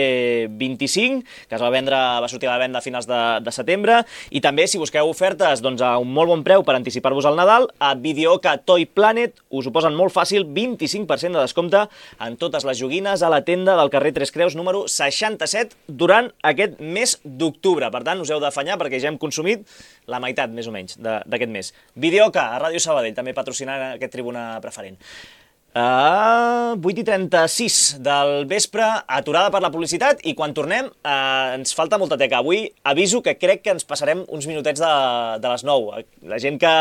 vint-i-cinc, que es va vendre, va sortir a la venda a finals de, de setembre, i també si busqueu ofertes doncs, a un molt bon preu per anticipar-vos al Nadal, a Videoca Toy Planet us ho posen molt fàcil, vint-i-cinc per cent de descompte en totes les joguines a la tenda del carrer Tres Creus número seixanta-set durant aquest mes d'octubre. Per tant, us heu d'afanyar perquè ja hem consumit la meitat, més o menys, d'aquest mes. Videoca, a Ràdio Sabadell, també patrocinant aquest Tribuna Preferent. Uh, vuit i trenta-sis del vespre, aturada per la publicitat, i quan tornem uh, ens falta molta teca. Avui aviso que crec que ens passarem uns minutets de, de les nou. La gent que,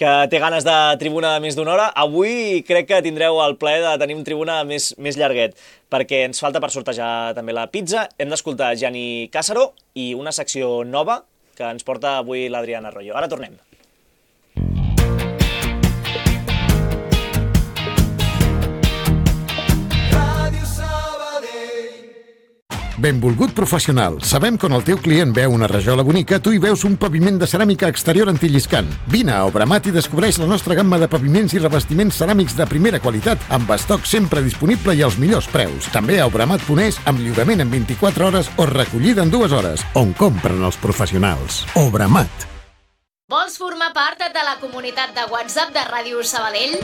que té ganes de tribuna de més d'una hora, avui crec que tindreu el plaer de tenir un tribuna més, més llarguet, perquè ens falta per sortejar també la pizza. Hem d'escoltar Gianni Càssaro i una secció nova que ens porta avui l'Adriana Arroyo. Ara tornem. Benvolgut professional, sabem que on el teu client veu una rajola bonica, tu hi veus un paviment de ceràmica exterior antilliscant. Vine a Obramat i descobreix la nostra gamma de paviments i revestiments ceràmics de primera qualitat, amb estoc sempre disponible i als millors preus. També a Obramat punt es, amb lliurament en vint-i-quatre hores o recollida en dues hores, on compren els professionals. Obramat. Vols formar part de la comunitat de WhatsApp de Ràdio Sabadell?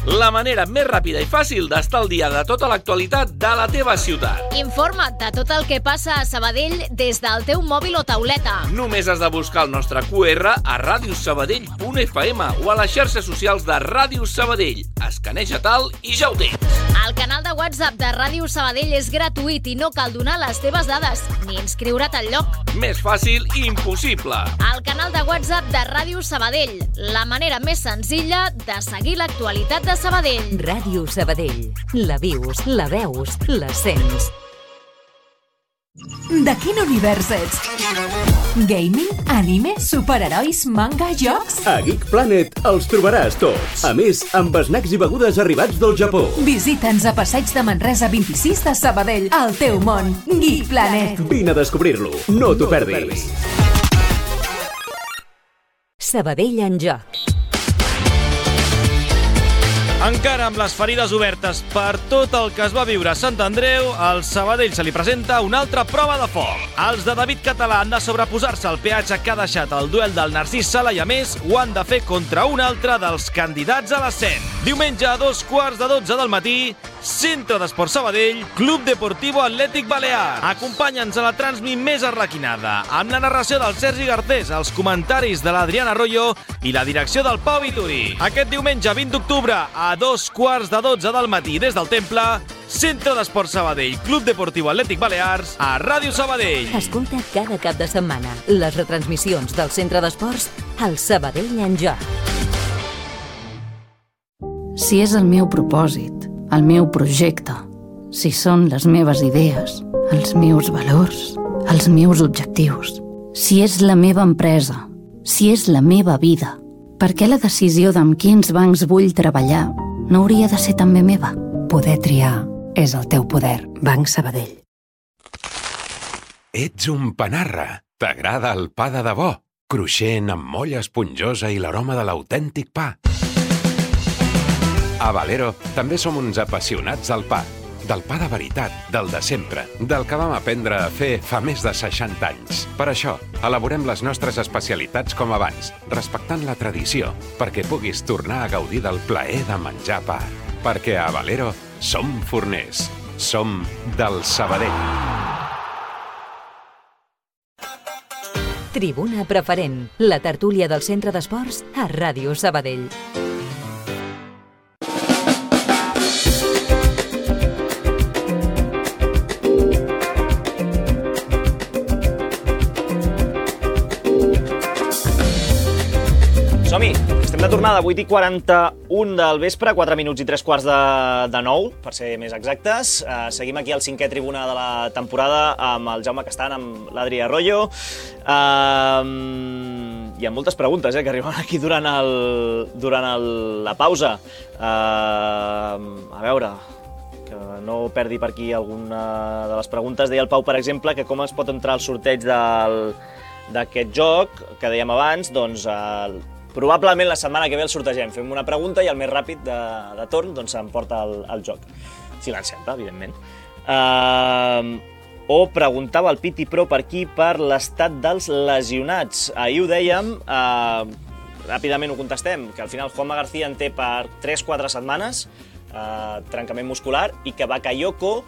La manera més ràpida i fàcil d'estar al dia de tota l'actualitat de la teva ciutat. Informa't de tot el que passa a Sabadell des del teu mòbil o tauleta. Només has de buscar el nostre Q R a radiosabadell punt f m o a les xarxes socials de Ràdio Sabadell. Escaneja tal i ja ho tens. El canal de WhatsApp de Ràdio Sabadell és gratuït i no cal donar les teves dades ni inscriure't al lloc. Més fàcil i impossible. El canal de WhatsApp de Ràdio Sabadell, la manera més senzilla de seguir l'actualitat de Sabadell. Ràdio Sabadell. La vius, la veus, la sents. De quin univers ets? Gaming, anime, superherois, manga, jocs? A Geek Planet els trobaràs tots. A més, amb snacks i begudes arribats del Japó. Visita'ns a Passeig de Manresa vint-i-sis de Sabadell, al teu món. Geek Planet. Vine a descobrir-lo. No t'ho perdis. Sabadell en joc. Encara amb les ferides obertes per tot el que es va viure a Sant Andreu, al Sabadell se li presenta una altra prova de foc. Els de David Català han de sobreposar-se al peatge que ha deixat el duel del Narcís Sala i, a més, ho han de fer contra un altre dels candidats a l'ascens. Diumenge a dos quarts de dotze del matí, Centre d'Esports Sabadell, Club Deportivo Atlètic Balears. Acompanya'ns a la transmi més arlequinada, amb la narració del Sergi Garcés, els comentaris de l'Adriana Arroyo i la direcció del Pau Vituri. Aquest diumenge vint d'octubre, a dos quarts de dotze del matí des del Temple, Centre d'Esports Sabadell, Club Deportivo Atlètic Balears, a Ràdio Sabadell. Escolta cada cap de setmana les retransmissions del Centre d'Esports al Sabadell en Joc. Si és el meu propòsit, el meu projecte, si són les meves idees, els meus valors, els meus objectius, si és la meva empresa, si és la meva vida, per què la decisió d'amb quins bancs vull treballar no hauria de ser també meva? Poder triar és el teu poder. Banc Sabadell. Ets un panarra. T'agrada el pa de debò? Cruixent, amb molla esponjosa i l'aroma de l'autèntic pa. A Valero també som uns apassionats del pa. Del pa de veritat, del de sempre, del que vam aprendre a fer fa més de seixanta anys. Per això, elaborem les nostres especialitats com abans, respectant la tradició, perquè puguis tornar a gaudir del plaer de menjar pa. Perquè a Valero som forners. Som del Sabadell. Tribuna Preferent, la tertúlia del Centre d'Esports a Ràdio Sabadell. Som-hi, estem de tornada, vuit i quaranta-un del vespre, quatre minuts i tres quarts de, de nou, per ser més exactes. Uh, seguim aquí al cinquè tribuna de la temporada amb el Jaume Castan, amb l'Adri Arroyo. Uh, hi ha moltes preguntes eh, que arriben aquí durant, el, durant el, la pausa. Uh, a veure, que no perdi per aquí alguna de les preguntes. Deia el Pau, per exemple, que com es pot entrar al sorteig del, d'aquest joc, que dèiem abans, doncs... Uh, Probablement la setmana que ve el sortegem. Fem una pregunta i el més ràpid de, de torn doncs, s'emporta el, el joc. Si l'encerta, evidentment. Uh, o preguntava el Piti Pro per aquí per l'estat dels lesionats. Ahir ho dèiem, uh, ràpidament ho contestem, que al final Juanma García en té per tres quatre setmanes, uh, trencament muscular, i que Bakayoko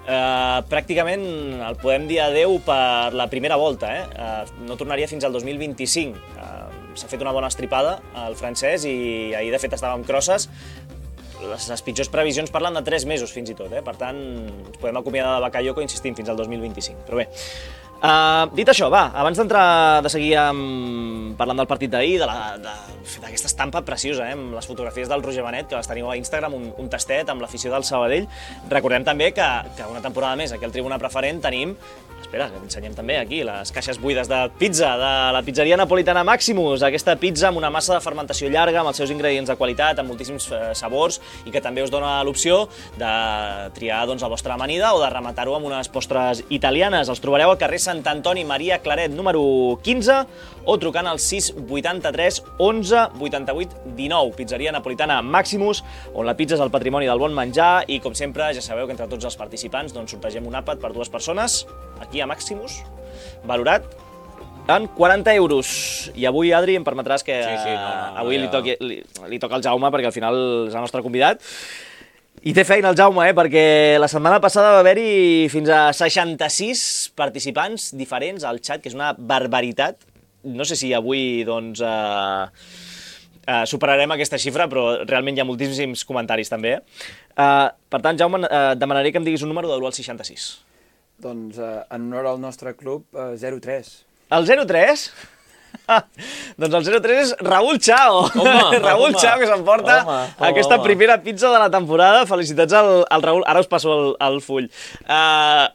Uh, pràcticament el podem dir adeu per la primera volta, eh? Uh, no tornaria fins al dos mil vint-i-cinc. Uh, s'ha fet una bona estripada al francès i ahir de fet estava amb crosses. Les, les pitjors previsions parlen de tres mesos fins i tot, eh? Per tant ens podem acomiadar de Bakayoko, insistim, fins al dos mil vint-i-cinc. Però bé, uh, dit això, va, abans d'entrar de seguir amb, parlant del partit d'ahir, d'aquesta de, estampa preciosa, eh? Amb les fotografies del Roger Benet, que les teniu a Instagram, un, un tastet amb l'afició del Sabadell. Recordem també que, que una temporada més aquí al Tribuna Preferent tenim, espera, que t'ensenyem també aquí, les caixes buides de pizza de la pizzeria napolitana Maximus, aquesta pizza amb una massa de fermentació llarga, amb els seus ingredients de qualitat, amb moltíssims eh, sabors, i que també us dona l'opció de triar doncs, la vostra amanida o de rematar-ho amb unes postres italianes. Els trobareu al carrer Sant Antoni Maria Claret, número quinze, o trucant al sis vuitanta-tres onze vuitanta-vuit dinou. Pizzeria napolitana Maximus, on la pizza és el patrimoni del bon menjar, i com sempre ja sabeu que entre tots els participants doncs, sortegem un àpat per dues persones, aquí a Maximus, valorat en quaranta euros. I avui, Adri, em permetràs que sí, sí, no, no, avui no, li, toqui, li, li toca al Jaume, perquè al final és el nostre convidat. I té feina el Jaume, eh? Perquè la setmana passada va haver-hi fins a seixanta-sis participants diferents al xat, que és una barbaritat. No sé si avui doncs, eh, eh, superarem aquesta xifra, però realment hi ha moltíssims comentaris també. Eh, per tant, Jaume, eh, demanaré que em diguis un número de l'u al seixanta-sis. Doncs eh, en honor al nostre club, eh, zero tres. El zero tres? Ah, doncs el zero tres és Raúl Chao. Home, Raúl home, Chao, que s'emporta aquesta home. primera pizza de la temporada. Felicitats al, al Raúl. Ara us passo el, el full. Uh,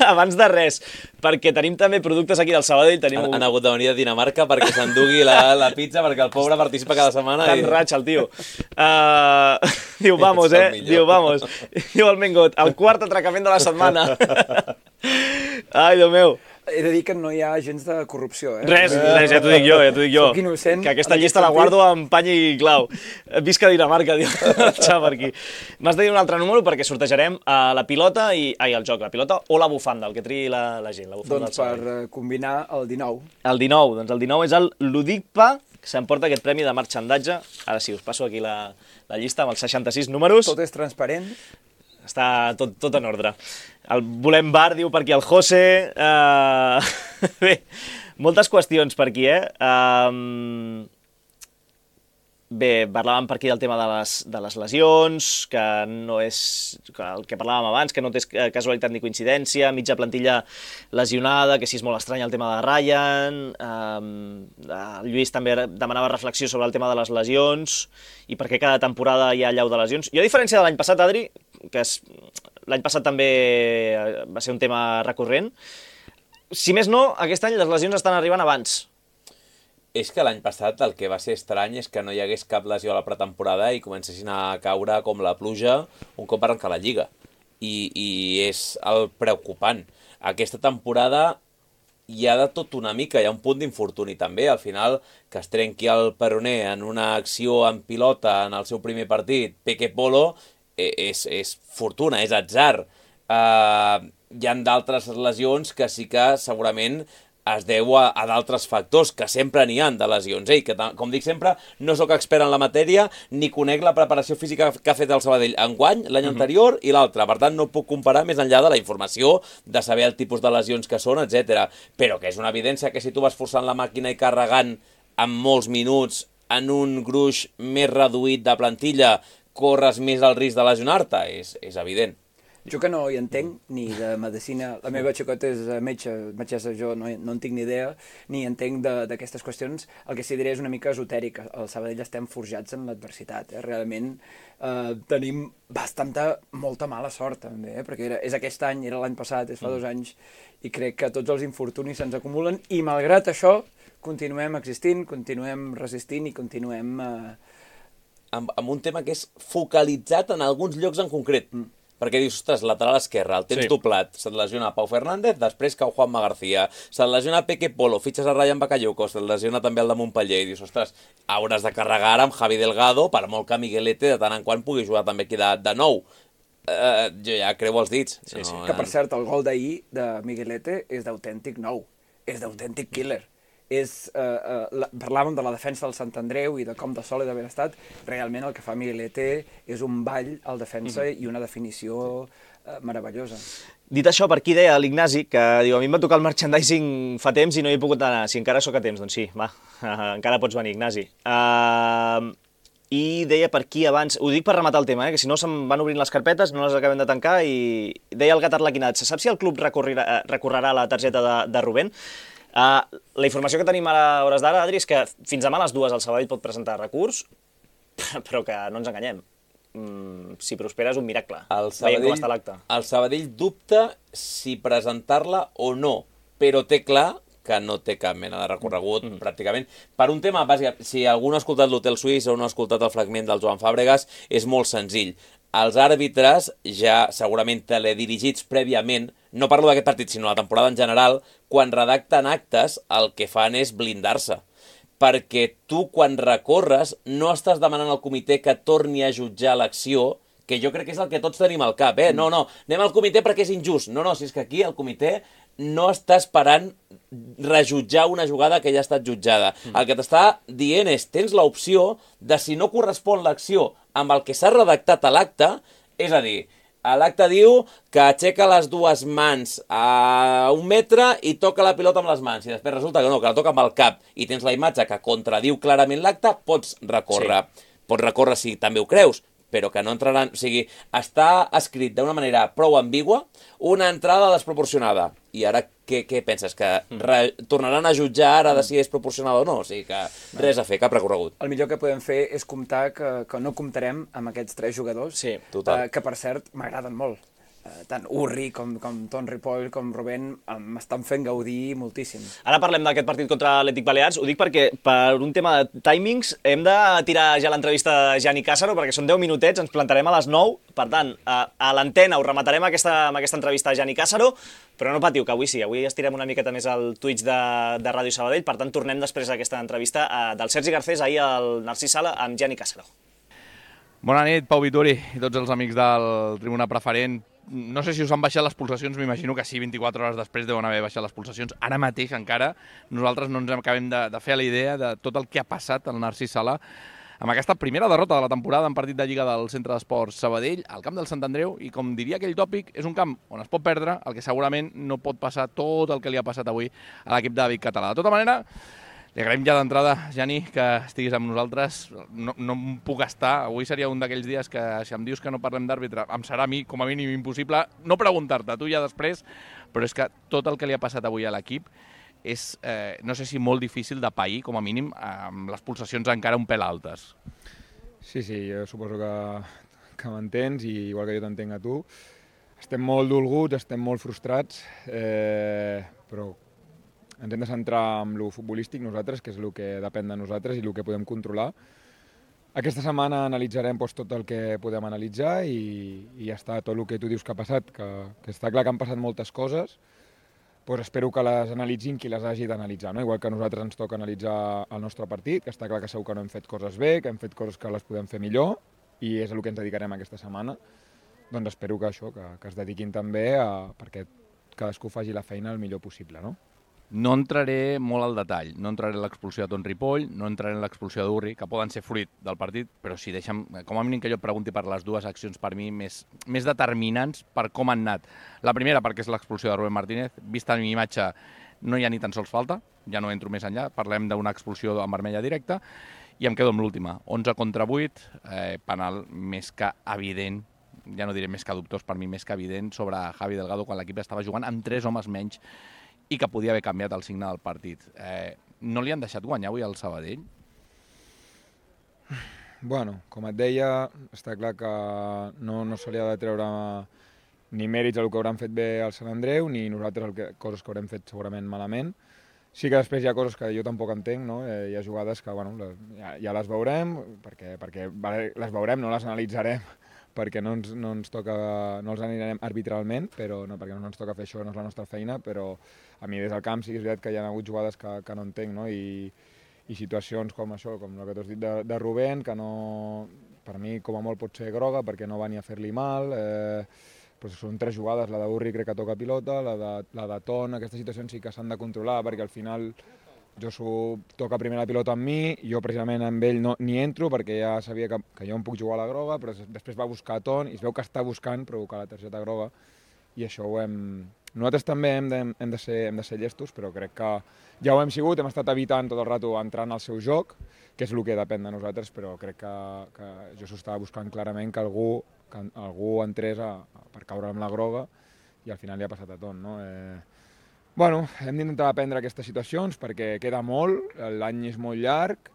abans de res, perquè tenim també productes aquí del Sabadell. Tenim han, un... han hagut de venir de Dinamarca perquè s'endugui la, la pizza, perquè el pobre participa cada setmana. Tan i... raig el tio. Uh, diu, vamos, eh? Diu, vamos. Diu el Mengot, el quart atracament de la setmana. Ai, Déu meu. he de dir que no hi ha gens de corrupció, eh? Res, res, ja t'ho dic jo, ja t'ho dic jo. Soc innocent. Que aquesta llista la guardo amb pany i clau. Visca Dinamarca, diu el xav per aquí. M'has de dir un altre número perquè sortejarem la pilota i... Ai, el joc, la pilota o la bufanda, el que triï la, la gent. La doncs per combinar el dinou. El dinou, doncs el dinou és el Ludicpa, que s'emporta aquest premi de marxandatge. Ara sí, us passo aquí la, la llista amb els seixanta-sis números. Tot és transparent. Està tot, tot en ordre. El volem bar, diu per aquí el José. Uh... Bé, moltes qüestions per aquí, eh? Uh... Bé, parlàvem per aquí del tema de les, de les lesions, que no és el que parlàvem abans, que no té casualitat ni coincidència, mitja plantilla lesionada, que sí és molt estrany el tema de Ryan, eh, el Lluís també demanava reflexió sobre el tema de les lesions i per què cada temporada hi ha allau de lesions. Jo, a diferència de l'any passat, Adri, que l'any passat també va ser un tema recurrent, si més no, aquest any les lesions estan arribant abans. És que l'any passat el que va ser estrany és que no hi hagués cap lesió a la pretemporada i comencessin a caure com la pluja un cop arrencar la Lliga. I, i és el preocupant. Aquesta temporada hi ha de tot una mica, hi ha un punt d'infortuni també. Al final, que es trenqui el peroné en una acció en pilota en el seu primer partit, Peque Polo, és, és fortuna, és atzar. Uh, hi ha d'altres lesions que sí que segurament es deu a, a d'altres factors, que sempre n'hi ha de lesions. Ei, que, com dic sempre, no sóc expert en la matèria, ni conec la preparació física que ha fet el Sabadell enguany, l'any mm-hmm. anterior i l'altre. Per tant, no puc comparar més enllà de la informació, de saber el tipus de lesions que són, etcètera. Però que és una evidència que si tu vas forçant la màquina i carregant en molts minuts en un gruix més reduït de plantilla, corres més el risc de lesionar-te, és, és evident. Jo que no hi entenc, ni de medicina, la meva xicota és metge, metgessa, jo no, no en tinc ni idea, ni entenc d'aquestes qüestions, el que sí diré és una mica esotèric. Al Sabadell estem forjats en l'adversitat, eh? Realment eh, tenim bastanta, molta mala sort també, eh? Perquè era, és aquest any, era l'any passat, és fa dos anys, i crec que tots els infortunis se'ns acumulen, i malgrat això continuem existint, continuem resistint i continuem... Eh... Amb, amb un tema que és focalitzat en alguns llocs en concret. Mm. Perquè dius, ostres, lateral esquerre, el tens sí. doblat, se't lesiona Pau Fernández, després cau Juanma García, se't lesiona Peque Polo, fitxes a Ryan Bakayoko, se't lesiona també el de Montpellier, i dius, ostres, hauràs de carregar ara amb Javi Delgado, per molt que Miguelete de tant en quant pugui jugar també aquí de, de nou. Uh, jo ja creu els dits. Sí, no, sí. Que, per cert, el gol d'ahir de Miguelete és d'autèntic nou, és d'autèntic killer. És, eh, eh, la, parlàvem de la defensa del Sant Andreu i de com de sòlid haver estat, realment el que fa Miguelete és un ball al defensa mm-hmm. i una definició eh, meravellosa. Dit això, per aquí deia l'Ignasi, que diu, a mi em va tocar el merchandising fa temps i no hi he pogut anar. Si encara sóc a temps, doncs sí, va, encara pots venir, Ignasi. Uh, I deia per aquí abans, ho dic per rematar el tema, eh, que si no se'm van obrint les carpetes, no les acabem de tancar, i deia el Gat Arlequinat, se sap si el club recorrerà, recorrerà la targeta de, de Rubén? Uh, la informació que tenim a hores d'ara, Adri, és que fins demà a les dues el Sabadell pot presentar recurs, però que no ens enganyem. Mm, si prospera és un miracle. El Sabadell, veiem com està l'acte. El Sabadell dubta si presentar-la o no, però té clar que no té cap mena de recorregut, mm. pràcticament. Per un tema bàsic, si algú no ha escoltat l'Hotel Suís o no ha escoltat el fragment del Joan Fàbregas, és molt senzill. Els àrbitres, ja segurament teledirigits prèviament, no parlo d'aquest partit, sinó la temporada en general, quan redacten actes, el que fan és blindar-se. Perquè tu, quan recorres, no estàs demanant al comitè que torni a jutjar l'acció, que jo crec que és el que tots tenim al cap, eh? No, no, anem al comitè perquè és injust. No, no, si és que aquí el comitè no està esperant rejutjar una jugada que ja ha estat jutjada. Mm. El que t'està dient és, tens l'opció de, si no correspon l'acció amb el que s'ha redactat a l'acte, és a dir, l'acte diu que aixeca les dues mans a un metre i toca la pilota amb les mans, i després resulta que no, que la toca amb el cap, i tens la imatge que contradiu clarament l'acte, pots recórrer. Sí. Pots recórrer si també ho creus, però que no entraran... O sigui, està escrit d'una manera prou ambigua, una entrada desproporcionada. I ara què, què penses? Que re, tornaran a jutjar ara de si és proporcionada o no? O sigui que res a fer, cap recorregut. El millor que podem fer és comptar que, que no comptarem amb aquests tres jugadors, sí, eh, que per cert m'agraden molt. tant Urri com, com Ton Ripoll com Rubén m'estan fent gaudir moltíssim. Ara parlem d'aquest partit contra l'Atlètic Balears. Ho dic perquè per un tema de timings hem de tirar ja l'entrevista de Gianni Cássaro perquè són deu minutets, ens plantarem a les nou. Per tant, a, a l'antena ho rematarem aquesta, amb aquesta entrevista de Gianni Cássaro, però no patiu, que avui sí, avui estirem una miqueta més al Twitch de, de Ràdio Sabadell. Per tant, tornem després d'aquesta entrevista a, del Sergi Garcés ahir al Narcís Sala amb Gianni Cássaro. Bona nit, Pau Vituri i tots els amics del Tribuna Preferent. No sé si us han baixat les pulsacions, m'imagino que sí, vint-i-quatre hores després deuen haver baixat les pulsacions. Ara mateix encara nosaltres no ens acabem de, de fer la idea de tot el que ha passat al Narcís Sala amb aquesta primera derrota de la temporada en partit de Lliga del Centre d'Esports Sabadell, al camp del Sant Andreu, i com diria aquell tòpic, és un camp on es pot perdre, el que segurament no pot passar tot el que li ha passat avui a l'equip de David Català. De tota manera, li agraïm ja d'entrada, Gianni, que estiguis amb nosaltres. No, no em puc estar. Avui seria un d'aquells dies que, si em dius que no parlem d'àrbitre, em serà a mi, com a mínim, impossible no preguntar-te, tu ja després, però és que tot el que li ha passat avui a l'equip és, eh, no sé si molt difícil de pair, com a mínim, amb les pulsacions encara un pèl altes. Sí, sí, jo suposo que, que m'entens, i igual que jo t'entenc a tu. Estem molt dolguts, estem molt frustrats, eh, però ens hem de centrar en lo futbolístic nosaltres, que és el que depèn de nosaltres i el que podem controlar. Aquesta setmana analitzarem doncs, tot el que podem analitzar i, i ja està, tot el que tu dius que ha passat, que, que està clar que han passat moltes coses, doncs espero que les analitzin qui les hagi d'analitzar, no? Igual que a nosaltres ens toca analitzar el nostre partit, que està clar que segur que no hem fet coses bé, que hem fet coses que les podem fer millor, i és el que ens dedicarem aquesta setmana. Doncs espero que això, que, que es dediquin també a, perquè cadascú faci la feina el millor possible, no? No entraré molt al detall, no entraré en l'expulsió de Ton Ripoll, no entraré en l'expulsió d'Urri, que poden ser fruit del partit, però sí, deixa'm, com a mínim que jo et pregunti per les dues accions per mi més, més determinants per com han anat. La primera perquè és l'expulsió de Rubén Martínez, vista en imatge no hi ha ni tan sols falta, ja no entro més enllà, parlem d'una expulsió en vermella directa, i em quedo amb l'última, onze contra vuit, eh, penal més que evident, ja no diré més que dubtós, per mi més que evident, sobre Javi Delgado quan l'equip estava jugant amb tres homes menys i que podia haver canviat el signe del partit. Eh, no li han deixat guanyar avui al Sabadell? Bueno, com et deia, està clar que no, no se li ha de treure ni mèrits al que hauran fet bé al Sant Andreu, ni nosaltres el que, coses que haurem fet segurament malament. Sí que després hi ha coses que jo tampoc entenc, no? Eh, hi ha jugades que bueno, ja, ja les veurem, perquè, perquè les veurem, no les analitzarem, perquè no ens, no ens toca, no els anirem arbitralment, però no, perquè no ens toca fer això, no és la nostra feina, però a mi des del camp sí que és veritat que hi ha hagut jugades que, que no entenc, no? I, i situacions com això, com el que t'has dit de, de Rubén, que no, per mi com a molt pot ser groga, perquè no va ni a fer-li mal, eh, però són tres jugades, la d'Urri crec que toca pilota, la de, la de Ton, aquestes situacions sí que s'han de controlar, perquè al final Josu toca primer la pilota amb mi, jo precisament amb ell no, ni entro perquè ja sabia que, que jo em puc jugar a la groga, però després va buscar a Ton i es veu que està buscant provocar la targeta groga i això ho hem... Nosaltres també hem de, hem de, ser, hem de ser llestos, però crec que ja ho hem sigut, hem estat evitant tot el rato entrant al seu joc, que és el que depèn de nosaltres, però crec que, que Josu estava buscant clarament que algú, que algú entrés a, a, per caure amb la groga i al final li ha passat a Ton, no? Eh, Bueno, hem d'intentar aprendre aquestes situacions perquè queda molt, l'any és molt llarg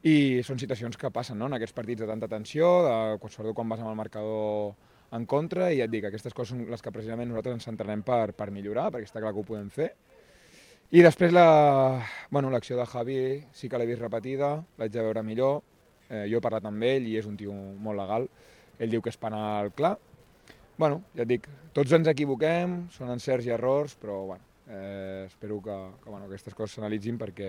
i són situacions que passen, no? En aquests partits de tanta tensió, de, sobretot quan vas amb el marcador en contra, i ja et dic, aquestes coses són les que precisament nosaltres ens centrarem per, per millorar, perquè està clar que ho podem fer. I després la, bueno, l'acció de Javi sí que l'he vist repetida, l'haig de veure millor, eh, jo he parlat amb ell i és un tio molt legal, ell diu que és penal clar. Bueno, ja et dic, tots ens equivoquem, són encerts i errors, però bueno, Eh, espero que, que bueno, aquestes coses s'analitzin perquè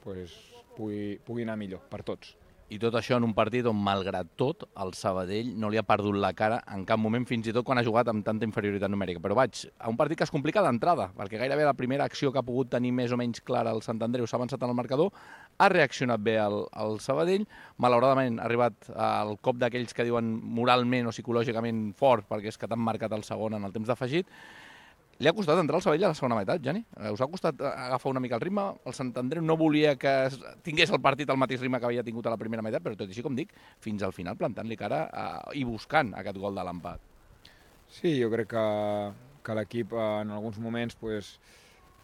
pues, pugui, pugui anar millor per tots. I tot això en un partit on, malgrat tot, el Sabadell no li ha perdut la cara en cap moment, fins i tot quan ha jugat amb tanta inferioritat numèrica. Però vaig a un partit que es complica d'entrada, perquè gairebé la primera acció que ha pogut tenir més o menys clara el Sant Andreu s'ha avançat en el marcador, ha reaccionat bé el, el Sabadell, malauradament ha arribat al cop d'aquells que diuen moralment o psicològicament fort, perquè és que t'han marcat el segon en el temps d'afegit. Li ha costat entrar al Sabadell a la segona meitat, Gianni? Us ha costat agafar una mica el ritme? El Sant Andreu no volia que tingués el partit al mateix ritme que havia tingut a la primera meitat, però tot i així, com dic, fins al final plantant-li cara eh, i buscant aquest gol de l'empat. Sí, jo crec que, que l'equip en alguns moments pues,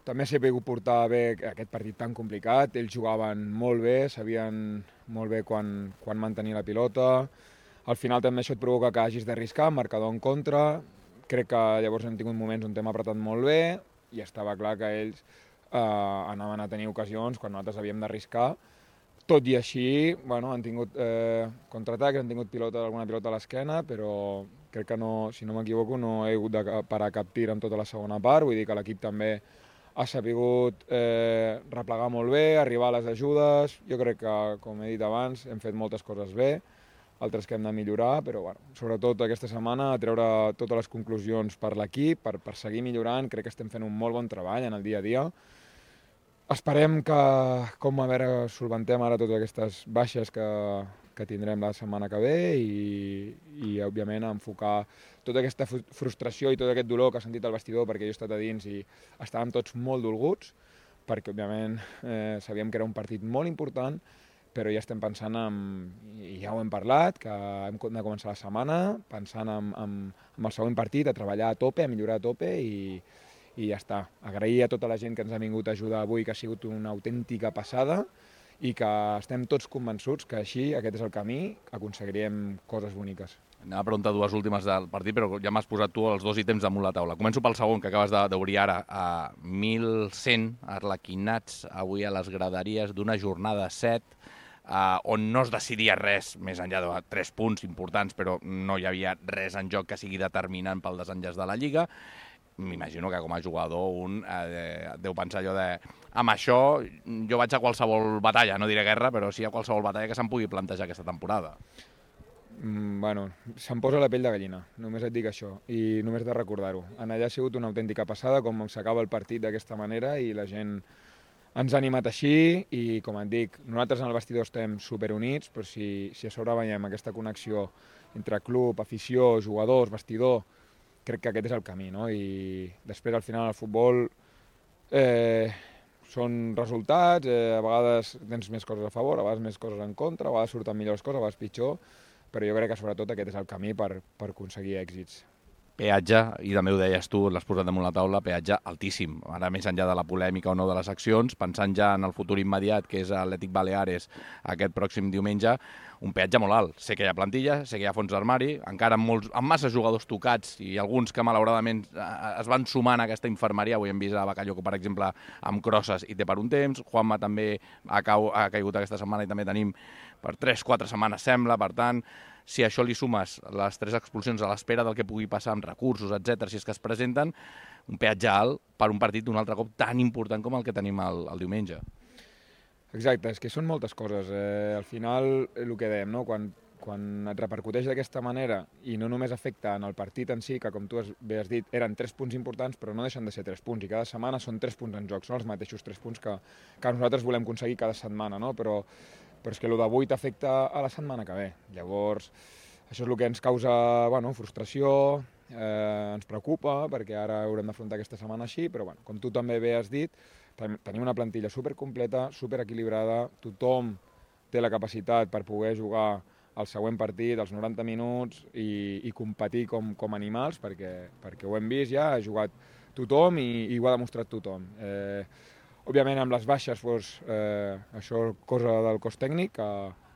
també s'ha pogut portar bé aquest partit tan complicat. Ells jugaven molt bé, sabien molt bé quan, quan mantenir la pilota. Al final també això et provoca que hagis d'arriscar, marcador en contra, crec que llavors hem tingut moments on hem apretat molt bé i estava clar que ells eh, anaven a tenir ocasions quan nosaltres havíem d'arriscar. Tot i així, bueno, han tingut eh, contraatacs, han tingut pilota, alguna pilota a l'esquena, però crec que, no, si no m'equivoco, no he hagut de parar cap tir en tota la segona part, vull dir que l'equip també ha sabut eh, replegar molt bé, arribar a les ajudes. Jo crec que, com he dit abans, hem fet moltes coses bé, altres que hem de millorar, però bueno, sobretot aquesta setmana a treure totes les conclusions per l'equip, per, per seguir millorant. Crec que estem fent un molt bon treball en el dia a dia. Esperem que, com a veure, solventem ara totes aquestes baixes que, que tindrem la setmana que ve i, i òbviament, enfocar tota aquesta frustració i tot aquest dolor que ha sentit el vestidor, perquè jo he estat a dins i estàvem tots molt dolguts, perquè, òbviament, eh, sabíem que era un partit molt important, però ja estem pensant en, i ja ho hem parlat, que hem de començar la setmana pensant en, en, en el següent partit, a treballar a tope, a millorar a tope i, i ja està. Agrair a tota la gent que ens ha vingut a ajudar avui, que ha sigut una autèntica passada i que estem tots convençuts que així, aquest és el camí, aconseguiríem coses boniques. Anava a preguntar dues últimes del partit, però ja m'has posat tu els dos ítems damunt la taula. Començo pel segon, que acabes d'obrir ara. A mil cent arlequinats avui a les graderies d'una jornada set, Uh, on no es decidia res, més enllà de tres punts importants, però no hi havia res en joc que sigui determinant pel desenllaç de la Lliga. M'imagino que com a jugador un eh, deu pensar allò de amb això jo vaig a qualsevol batalla, no diré guerra, però sí a qualsevol batalla que se'm pugui plantejar aquesta temporada. Mm, bueno, se'm posa la pell de gallina, només et dic això, i només de recordar-ho. En allà ha sigut una autèntica passada, com s'acaba el partit d'aquesta manera, i la gent ens ha animat així i, com et dic, nosaltres en el vestidor estem superunits, però si, si a sobre veiem aquesta connexió entre club, afició, jugadors, vestidor, crec que aquest és el camí, no? I després, al final, el futbol eh, són resultats, eh, a vegades tens més coses a favor, a vegades més coses en contra, a vegades surten millors coses, a vegades pitjor, però jo crec que sobretot aquest és el camí per, per aconseguir èxits. Peatge, i també ho deies tu, l'has posat damunt la taula, peatge altíssim. Ara, més enllà de la polèmica o no de les accions, pensant ja en el futur immediat, que és Atlètic Baleares aquest pròxim diumenge, un peatge molt alt. Sé que hi ha plantilla, sé que hi ha fons d'armari, encara amb, molts, amb massa jugadors tocats i alguns que malauradament es van sumant a aquesta infermeria. Avui hem vist a Bakayoko, per exemple, amb crosses i té per un temps. Juanma també ha, cau, ha caigut aquesta setmana i també tenim per tres quatre setmanes, sembla. Per tant, si a això li sumes les tres expulsions a l'espera del que pugui passar amb recursos, etcètera, si és que es presenten, un peatge alt per un partit d'un altre cop tan important com el que tenim el, el diumenge. Exacte, és que són moltes coses. Eh, al final, el que dèiem, no? quan, quan et repercuteix d'aquesta manera i no només afecta en el partit en si, que com tu has, bé has dit, eren tres punts importants, però no deixen de ser tres punts, i cada setmana són tres punts en joc, són els mateixos tres punts que, que nosaltres volem aconseguir cada setmana, no? però, però és que el d'avui t'afecta a la setmana que ve. Llavors, això és el que ens causa bueno, frustració, eh, ens preocupa, perquè ara haurem d'afrontar aquesta setmana així, però bueno, com tu també bé has dit, tenim una plantilla supercompleta, superequilibrada, tothom té la capacitat per poder jugar el següent partit, els noranta minuts, i, i competir com, com animals, perquè, perquè ho hem vist ja, ha jugat tothom i, i ho ha demostrat tothom. Eh, òbviament, amb les baixes, doncs, eh, això és cosa del cos tècnic, que,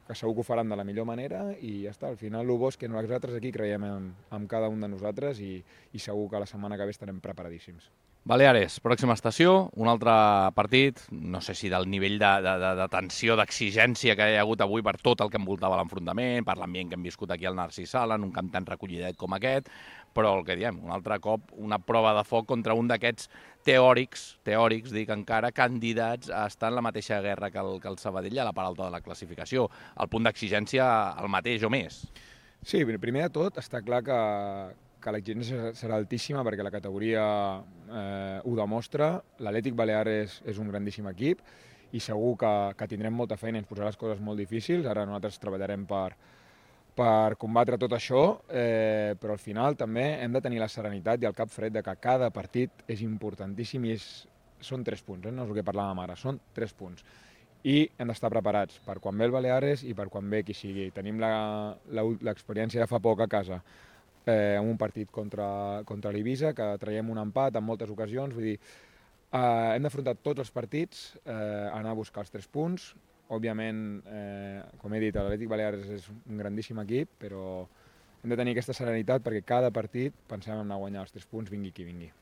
que segur que ho faran de la millor manera, i ja està. Al final, el bo és que nosaltres aquí creiem en, en cada un de nosaltres i, i segur que la setmana que ve estarem preparadíssims. Baleares, pròxima estació, un altre partit, no sé si del nivell de, de, de, de tensió, d'exigència que hi ha hagut avui per tot el que envoltava l'enfrontament, per l'ambient que hem viscut aquí al Narcís Sala, en un camp tan recollidet com aquest, però el que diem, un altre cop, una prova de foc contra un d'aquests teòrics, teòrics, dic encara, candidats a estar en la mateixa guerra que el, que el Sabadell a la part alta de la classificació. El punt d'exigència el mateix o més? Sí, primer de tot està clar que que l'exigència serà altíssima perquè la categoria eh, ho demostra. L'Atlètic Baleares és un grandíssim equip i segur que, que tindrem molta feina i ens posarà les coses molt difícils. Ara nosaltres treballarem per, per combatre tot això, eh, però al final també hem de tenir la serenitat i el cap fred de que cada partit és importantíssim i és, són tres punts, eh? No és el que parlàvem ara, són tres punts. I hem d'estar preparats per quan ve el Baleares i per quan ve qui sigui. Tenim l'experiència de fa poc a casa, Eh, en un partit contra, contra l'Eivissa, que traiem un empat en moltes ocasions. Vull dir, eh, hem d'afrontar tots els partits, eh, anar a buscar els tres punts. Òbviament, eh, com he dit, l'Atlètic Baleares és un grandíssim equip, però hem de tenir aquesta serenitat perquè cada partit pensem en anar a guanyar els tres punts, vingui qui vingui.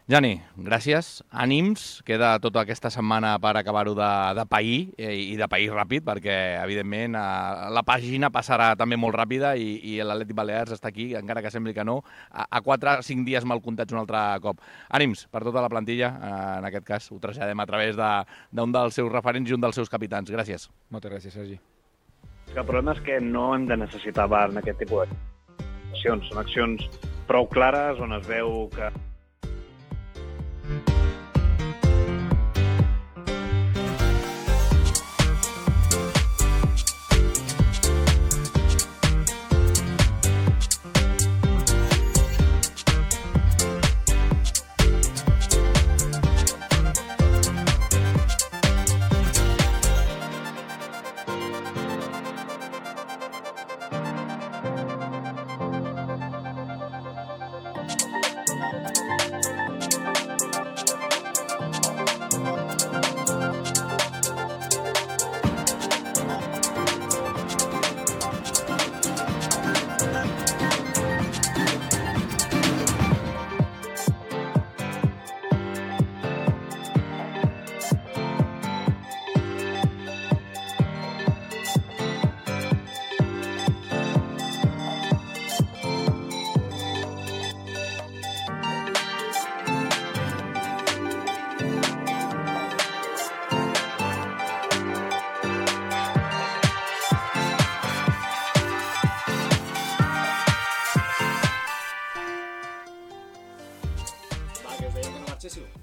Jani, gràcies, ànims, queda tota aquesta setmana per acabar-ho de, de pair, i de pair ràpid, perquè, evidentment, la pàgina passarà també molt ràpida i, i l'Atlètic Balears està aquí, encara que sembli que no, a, a quatre o cinc dies mal comptats un altre cop. Ànims per tota la plantilla, en aquest cas ho traslladem a través d'un dels seus referents i un dels seus capitans. Gràcies. Moltes gràcies, Sergi. El problema és que no hem de necessitar V A R en aquest tipus d'accions. Són accions prou clares on es veu que...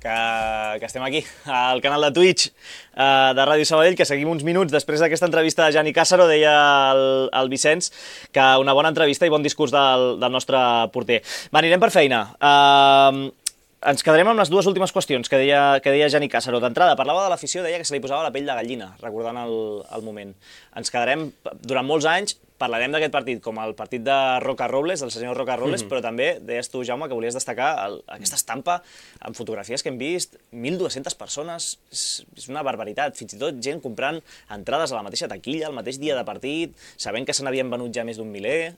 Que, que estem aquí, al canal de Twitch uh, de Ràdio Sabadell, que seguim uns minuts després d'aquesta entrevista de Jani Càssaro. Deia el, el Vicenç que una bona entrevista i bon discurs del, del nostre porter. Va, anirem per feina. Uh, ens quedarem amb les dues últimes qüestions que deia, que deia Jani Càssaro. D'entrada, parlava de l'afició, deia que se li posava la pell de gallina, recordant el, el moment. Ens quedarem durant molts anys. Parlarem d'aquest partit com el partit de Roca Robles, del senyor Roca Robles, mm-hmm. però també deies tu, Jaume, que volies destacar el, aquesta estampa amb fotografies que hem vist, mil dues-centes persones, és, és una barbaritat, fins i tot gent comprant entrades a la mateixa taquilla, el mateix dia de partit, sabent que se n'havien venut ja més d'un miler,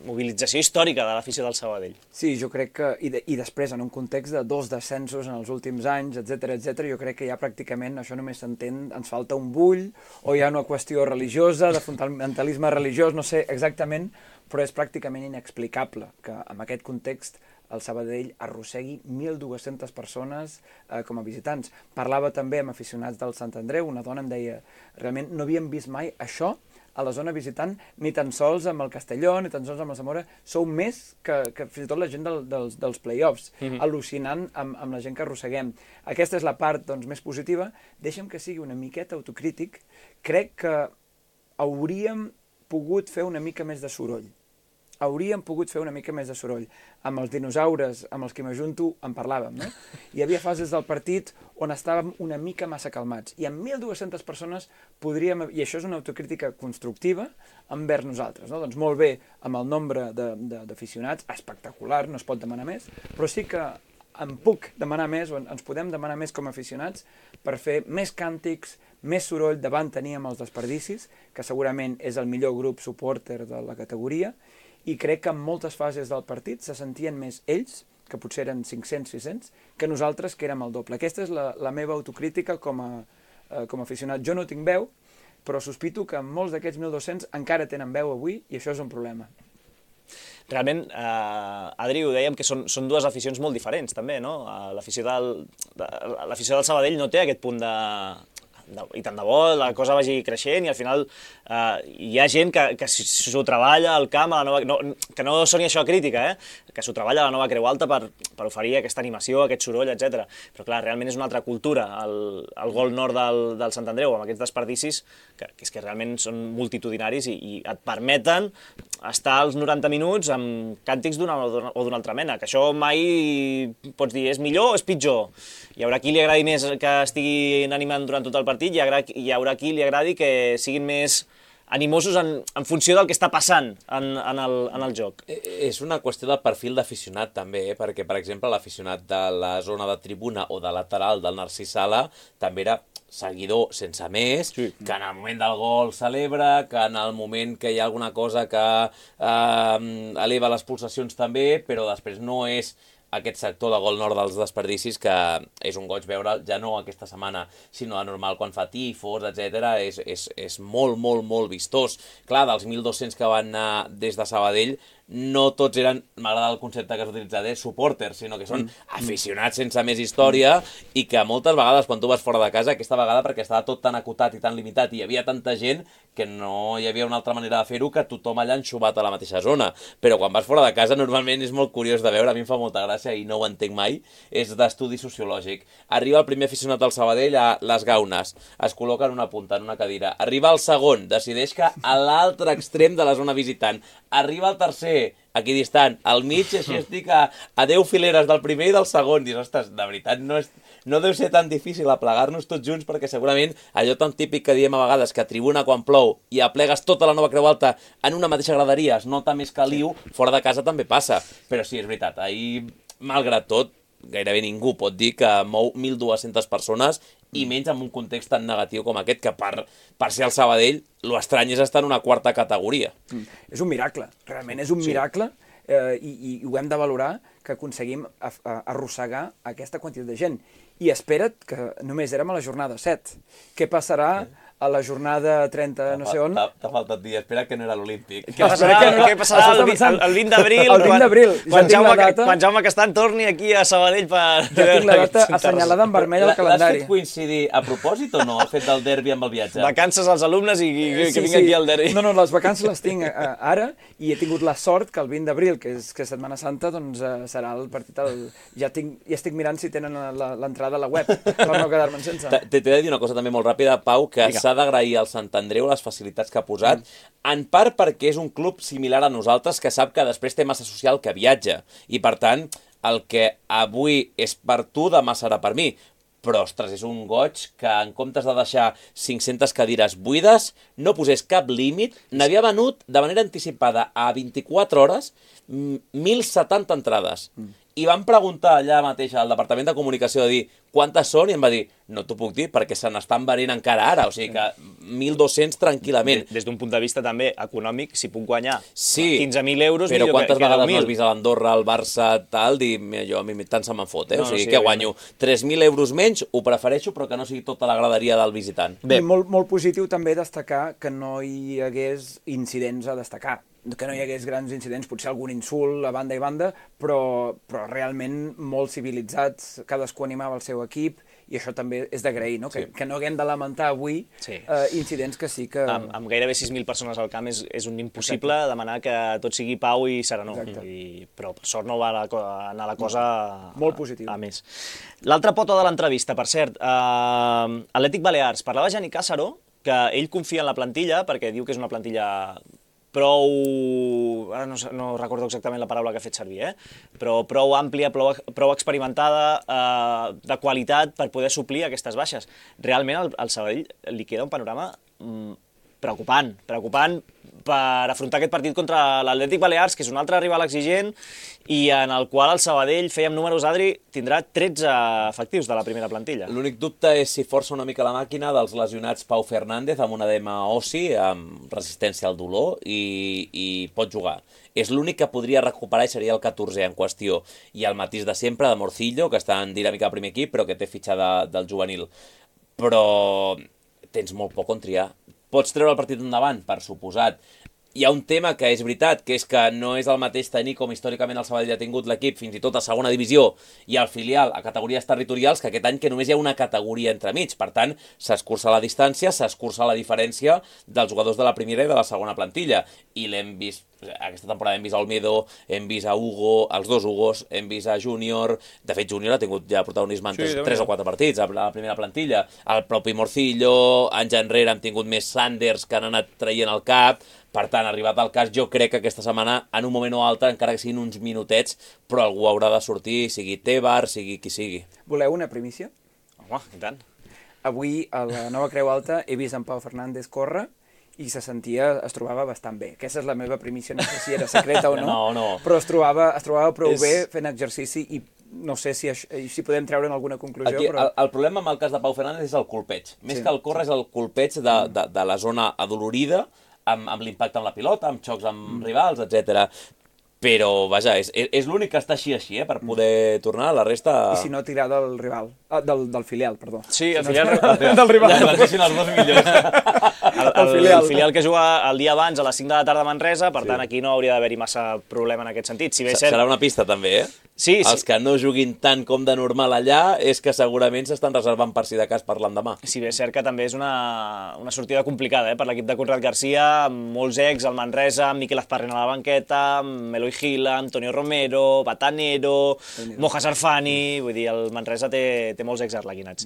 mobilització històrica de l'afició del Sabadell. Sí, jo crec que, i, de, i després, en un context de dos descensos en els últims anys, etcètera, etcètera, jo crec que ja pràcticament això només s'entén, ens falta un bull, o hi ha una qüestió religiosa, de fundamentalisme religiós, no sé exactament, però és pràcticament inexplicable que en aquest context el Sabadell arrossegui mil dues-centes persones eh, com a visitants. Parlava també amb aficionats del Sant Andreu, una dona em deia, realment no havíem vist mai això a la zona visitant, ni tan sols amb el Castelló, ni tan sols amb el Zamora, sou més que, que fins i tot la gent del, dels, dels play-offs, mm-hmm. al·lucinant amb, amb la gent que arrosseguem. Aquesta és la part doncs, més positiva. Deixa'm que sigui una miqueta autocrític. Crec que hauríem pogut fer una mica més de soroll. Hauríem pogut fer una mica més de soroll. Amb els dinosaures, amb els que m'ajunto, en parlàvem, no? Hi havia fases del partit on estàvem una mica massa calmats. I amb mil dues-centes persones podríem... I això és una autocrítica constructiva envers nosaltres, no? Doncs molt bé, amb el nombre d'aficionats, espectacular, no es pot demanar més, però sí que em puc demanar més, o ens podem demanar més com a aficionats, per fer més càntics, més soroll davant teníem els desperdicis, que segurament és el millor grup supporter de la categoria, i crec que en moltes fases del partit se sentien més ells, que potser eren cinc-cents, sis-cents, que nosaltres, que érem el doble. Aquesta és la, la meva autocrítica com a, eh, com a aficionat. Jo no tinc veu, però sospito que molts d'aquests mil dos-cents encara tenen veu avui, i això és un problema. Realment, eh, Adri, ho dèiem que són, són dues aficions molt diferents, també, no? L'afició del, de, l'afició del Sabadell no té aquest punt de... i tant de bo la cosa vagi creixent i al final eh, hi ha gent que, que s'ho treballa al camp, a la nova, no, que no soni això a crítica, eh? Que s'ho treballa a la nova Creu Alta per, per oferir aquesta animació, aquest soroll, etcètera. Però clar, realment és una altra cultura, el, el gol nord del, del Sant Andreu, amb aquests desperdicis, que, que és que realment són multitudinaris i, i et permeten estar als noranta minuts amb càntics d'una o d'una altra mena, que això mai pots dir és millor o és pitjor. Hi haurà qui li agradi més que estiguin animant durant tot el partit, hi haurà, hi haurà qui li agradi que siguin més animosos en, en funció del que està passant en, en, el, en el joc. És una qüestió del perfil d'aficionat també, eh? Perquè, per exemple, l'aficionat de la zona de tribuna o de lateral del Narcís Sala també era seguidor sense més, sí. que en el moment del gol celebra, que en el moment que hi ha alguna cosa que eh, eleva les pulsacions també, però després no és aquest sector de gol nord dels desperdicis, que és un goig veure ja no aquesta setmana, sinó de normal quan fa tifos, etcètera. És, és, és molt, molt, molt vistós. Clar, dels mil dos-cents que van anar des de Sabadell, no tots eren, m'agrada el concepte que has utilitzat, eh, supporters, sinó que són aficionats sense més història i que moltes vegades quan tu vas fora de casa, aquesta vegada perquè estava tot tan acotat i tan limitat i hi havia tanta gent que no hi havia una altra manera de fer-ho que tothom allà enxubat a la mateixa zona. Però quan vas fora de casa normalment és molt curiós de veure, a mi em fa molta gràcia i no ho entenc mai, és d'estudi sociològic. Arriba el primer aficionat del Sabadell a les Gaunes, es col·loca en una punta, en una cadira. Arriba el segon, decideix que a l'altre extrem de la zona visitant. Arriba el tercer, aquí distant, al mig, així estic a, a deu fileres del primer i del segon. Dius, ostres, de veritat, no, és, no deu ser tan difícil aplegar-nos tots junts, perquè segurament allò tan típic que diem a vegades, que a tribuna quan plou i aplegues tota la Nova Creu Alta en una mateixa graderia, es nota més caliu, fora de casa també passa. Però sí, és veritat, ahir, malgrat tot, gairebé ningú pot dir que mou mil dues-centes persones i menys en un context tan negatiu com aquest, que per, per ser el Sabadell, l'estrany és estar en una quarta categoria. Mm. És un miracle, realment és un sí. miracle, eh, i, i ho hem de valorar, que aconseguim a, a, arrossegar aquesta quantitat de gent. I espera't que només érem a la jornada set. Què passarà a la jornada trenta, no sé on? T'ha faltat dir, espera que no era l'Olímpic. Què passarà, que no, què passarà el, el, el vint d'abril? El vint d'abril. Quan, ja Jaume, quan Jaume Castan torni aquí a Sabadell per... Ja tinc la data assenyalada en vermell al calendari. L'has fet coincidir a propòsit o no, el fet del derbi amb el viatge? Vacances als alumnes i, i que sí, vinc sí. aquí al derbi. No, no, les vacances les tinc uh, ara i he tingut la sort que el vint d'abril, que és que Setmana Santa, doncs uh, serà el partit... El... Ja, tinc, ja estic mirant si tenen l'entrada a la web per no quedar-me'n sense. T'he de dir una cosa també molt ràpida, Pau, que s'ha d'agrair al Sant Andreu les facilitats que ha posat, mm. en part perquè és un club similar a nosaltres que sap que després té massa social que viatja, i per tant el que avui és per tu demà serà per mi. Però, ostres, és un goig que en comptes de deixar cinc-centes cadires buides, no posés cap límit, n'havia venut de manera anticipada a vint-i-quatre hores mil setanta entrades. Mm. I vam preguntar allà mateix al Departament de Comunicació de dir quantes són, i em va dir, no t'ho puc dir perquè se n'estan venent encara ara, o sigui que mil dos-cents tranquil·lament. Des d'un punt de vista també econòmic, si puc guanyar sí, quinze mil euros, però millor quantes que, que vegades no has vist a l'Andorra, al Barça, tal, dir, jo a mi tant se me'n fot, eh? No, o sigui sí, que guanyo tres mil euros menys, ho prefereixo, però que no sigui tota la graderia del visitant. Bé. I molt, molt positiu també destacar que no hi hagués incidents a destacar, que no hi hagués grans incidents, potser algun insult a banda i banda, però, però realment molt civilitzats, cadascú animava el seu equip, i això també és d'agrair, no? Que, sí. que no haguem de lamentar avui sí. eh, incidents que sí que... Amb, amb gairebé sis mil persones al camp és, és un impossible Exacte. demanar que tot sigui pau i serenor, I, però per sort no va la, anar la cosa molt positiu. A, a més. L'altra pota de l'entrevista, per cert, eh, Atlètic Balears, parlava Jani Càssaro, que ell confia en la plantilla, perquè diu que és una plantilla prou, ara no, no recordo exactament la paraula que ha fet servir, eh? però prou àmplia, prou, prou experimentada, eh, de qualitat per poder suplir aquestes baixes. Realment al, al Sabadell li queda un panorama mm, preocupant, preocupant per afrontar aquest partit contra l'Atlètic Balears, que és un altre rival exigent, i en el qual el Sabadell, fèiem números, Adri, tindrà tretze efectius de la primera plantilla. L'únic dubte és si força una mica la màquina dels lesionats Pau Fernández amb un edema ossi, amb resistència al dolor, i, i pot jugar. És l'únic que podria recuperar i seria el catorzè en qüestió. I el matís de sempre, de Morcillo, que està en dinàmica al primer equip, però que té fitxa de, del juvenil. Però tens molt poc on triar. Pots treure el partit endavant, per suposat. Hi ha un tema que és veritat, que és que no és el mateix tenir com històricament el Sabadell ha tingut l'equip fins i tot a segona divisió i al filial a categories territorials, que aquest any que només hi ha una categoria entremig. Per tant, s'escurça la distància, s'escurça la diferència dels jugadors de la primera i de la segona plantilla. I l'hem vist, aquesta temporada hem vist a Olmedo, hem vist a Hugo, els dos Hugos, hem vist a Júnior. De fet, Júnior ha tingut ja protagonisme en sí, tres o quatre partits a la primera plantilla. El propi Morcillo, anys enrere hem tingut més Sanders que han anat traient el cap. Per tant, arribat al cas, jo crec que aquesta setmana, en un moment o altre, encara que siguin uns minutets, però algú haurà de sortir, sigui Tebar, sigui qui sigui. Voleu una primícia? Home, i tant. Avui, a la Nova Creu Alta, he vist en Pau Fernández córrer i se sentia, es trobava bastant bé. Aquesta és la meva primícia, no sé si era secreta o no, no, no. però es trobava, es trobava prou és... bé fent exercici i no sé si, això, si podem treure alguna conclusió, Aquí, però... el, el problema amb el cas de Pau Fernández és el colpeig. Més Sí. que el córrer és el colpeig de, de, de la zona adolorida, amb, amb l'impacte amb la pilota, amb xocs amb mm. rivals, etcètera. Però, vaja, és, és l'únic que està així així, eh, per poder tornar, la resta... I si no, tirar del rival, ah, del, del filial, perdó. Sí, el si filial... No, del rival. Ja, van ser els dos millors. El, el, el, filial. el filial que juga el dia abans a les cinc de la tarda a Manresa, per sí. tant, aquí no hauria d'haver-hi massa problema en aquest sentit. Si bé cert... Serà una pista, també, eh? Sí, sí. Els que no juguin tant com de normal allà és que segurament s'estan reservant per si de cas per l'endemà. Si bé és cert que també és una, una sortida complicada, eh? Per l'equip de Conrad Garcia, amb molts ex, el Manresa, amb Miquel Azparren a la banqueta, amb Eloi Gila, Antonio Romero, Batanero, Moja Sarfani, vull dir, el Manresa té, té molts ex arlequinats.